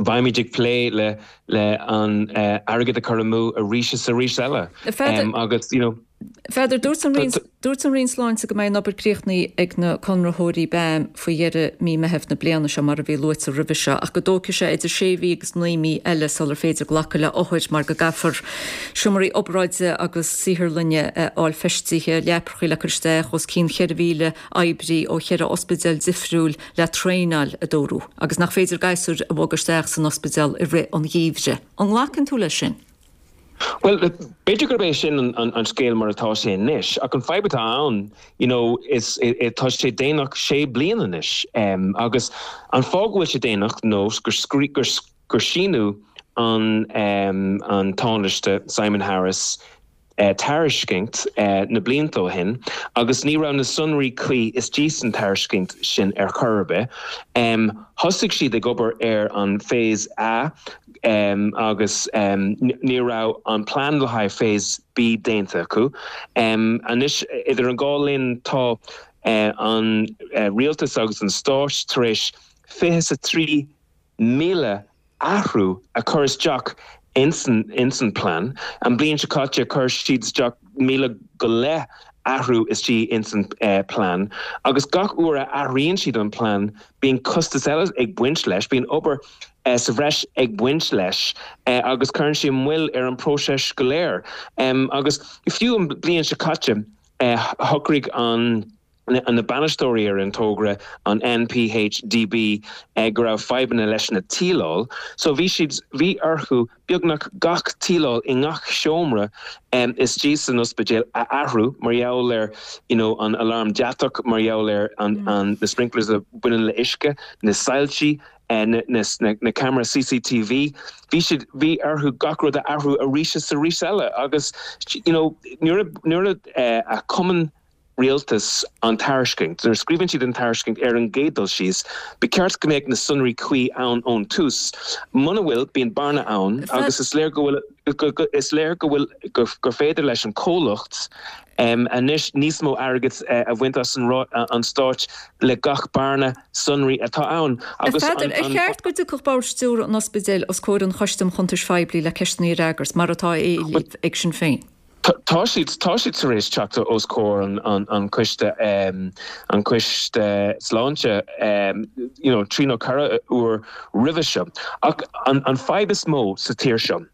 beimid ag plé le le an airgead a chur amú arís is arís eile. Agus you know. Pheadair, dúirt an Roinn dúirt an Roinn Sláinte go mbeidh an obair críochnaithe ag na conraitheoirí BAM faoi dheireadh mí Meitheamh na bliana seo mar a bhí luaite roimhe seo ach go dtógfaidh sé idir sé mhí agus naoi mí eile sular féidir glacadh le othair mar go gcaithfear seomraí obráide agus saotharlainne a fháil feistithe, leapacha le cur isteach, os cionn cheithre mhíle oibrí ó cheithre ospidéal difriúil le traenáil a dúradh agus nach féidir gasúir a bhogadh isteach san ospidéal i rith an gheimhridh. An nglacann tú leis sin? Bhuel, b'fhéidir gurb é sin an, an, an scéal mar atá sé anois, ach an fadhb atá ann, you know, is tá sé déanach sé bliana anois. Um, agus an fáth go bhfuil sé déanach nó gur, gur, gur síniú an, um, an Tánaiste Simon Harris tairiscint na blianta ó shin agus ní raibh na sonraí cuí istigh san tairiscint sin ar chor ar bith. Thosaigh siad ag obair ar an Phase A agus ní raibh an plean le haghaidh Phase B déanta acu. Anois idir an dhá linn tá an rialtas agus an stát tar éis fiche is a trí míle athrú a chur isteach insan insan plean. An bliain seo caite chuir siad isteach míle go leith athrú istigh insan eh, plean. Agus gach uair a athraíonn siad an plean bíonn costas eile ag baint leis, bíonn obair eh, sa bhreis ag baint leis eh, agus cuireann sé moill ar an próiseas go léir. Um, agus fiú an bliain seo caite eh, shocraigh an na bainisteoirí ar an togra an NPHDB eh, go raibh fadhbanna leis na tíleáil, so bhí siad bhí orthu beagnach gach tíleáil i ngach seomra um, istigh san ospidéal a athrú mar gheall ar you know, an alarm deatach mar gheall ar an, mm. an na sprinklers a bhaineann le uisce, na soilsí, eh, na, na, na, na camera CCTV, bhí siad bhí orthu gach rud a athrú arís is arís eile agus you know, nuair nuair uh, a chumann rialtas an tairiscint. Nuair a scríobhann siad an tairiscint ar an gcéad dul síos, ba cheart go mbeadh na sonraí cuí ann ón tús. Muna bhfuil bíonn bearna ann agus is léir go bhfuil is léir go bhfuil gur féidir leis an comhlacht um, anois níos mó airgid uh, a bhaint as an, an stáit le gach bearna sonraí atá ann. Agus an, an, cheart go dtiocfadh bord stiúrtha an ospidéil os comhair an Choiste um Chuntais Phoiblí le ceisteanna a fhreagairt mar atá á éileamh ag Sinn Féin. Tá siad tá siad tar éis teacht os comhair an, an, an coiste um, an coiste sláinte um, you know, trí nó ceithre uair roimhe seo. Ach an, an fadhb is mó sa tír seo.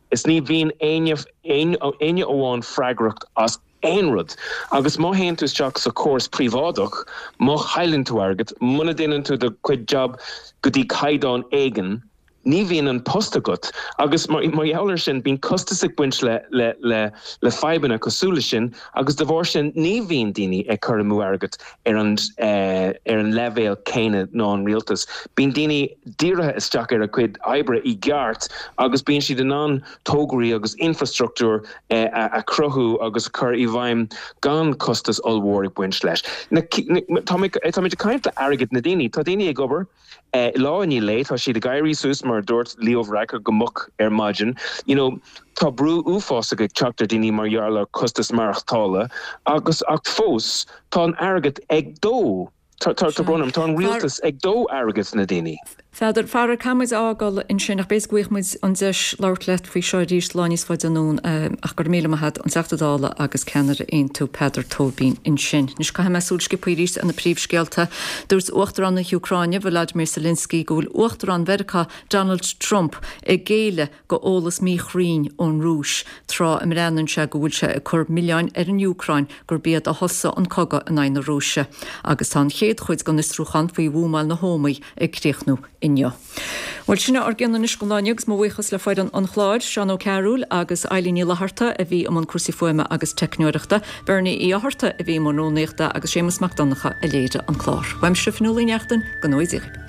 Is ní bhíonn éinne éinne amháin freagrach as aon rud. Agus má théann tú isteach sa córas príobháideach, má chailleann tú airgead, muna ndéanann tú do chuid job go dtí caighdeán éigin, ní bhíonn an post agat agus mar gheall air sin bíonn costas ag baint le le le le fadhbanna cosúil leis sin agus de bharr sin ní bhíonn daoine ag cur amú airgead ar an eh, ar an leibhéal céanna ná an rialtas. Bíonn daoine dírithe isteach ar a gcuid oibre i gceart agus bíonn siad in ann tograí agus infrastruchtúr eh, a, a chruthú agus a chur i bhfeidhm gan costas ollmhór ag baint leis. Tá muid ag caint le airgead na daoine, tá daoine ag obair Lá i ndiaidh lae, tá siad ag éirí suas mar a dúirt Leo Varadkar go moch ar maidin. You know, tá brú uafásach ag teacht ar daoine mar gheall ar costas maireachtála agus ach fós tá an airgead ag dó. Tá tá brón orm, tá an rialtas ag dó airgead na daoine. Pheadair, faraor caithfidh muid a fhágáil ansin ach b'fhéidir go bhfaighidh muid an deis labhairt leat faoi seo arís lá níos faide anonn ach go raibh míle maith agat, an Teachta Dála agus ceannaire Aontú Peadar Tóibín ansin. Anois caithfidh mé súil sciobtha arís ar na príomhscéalta. Dúirt Uachtarán na hÚcráine Volodymyr Zelensky go bhfuil Uachtarán Mheiriceá Donald Trump ag géilleadh go eolas míchruinn ón Rúis tráth a mbreathnaíonn sé go bhfuil sé ag cur milleáin ar an Úcráin gurb iad a thosaigh an cogadh in aghaidh na Rúise. Agus tá an chéad chuid den fhiosrúchán faoi bhuamáil na hÓmaí ag críochnú inniu. Bhuel, sin ár gcion anois don lá inniu agus mo bhuíochas le foireann an chláir, Seán Ó Cearúil agus Eilín Ní Fhlatharta a bhí i mbun cúrsaí fuaime agus teicneoireachta, Bernie Uí Fhátharta a bhí i mbun rúnaíochta agus Séamus Mac Donncha a léirigh an clár. Uaimse Fionnuala Ní Neachtain, go ngnóthaí Dia dhaoibh.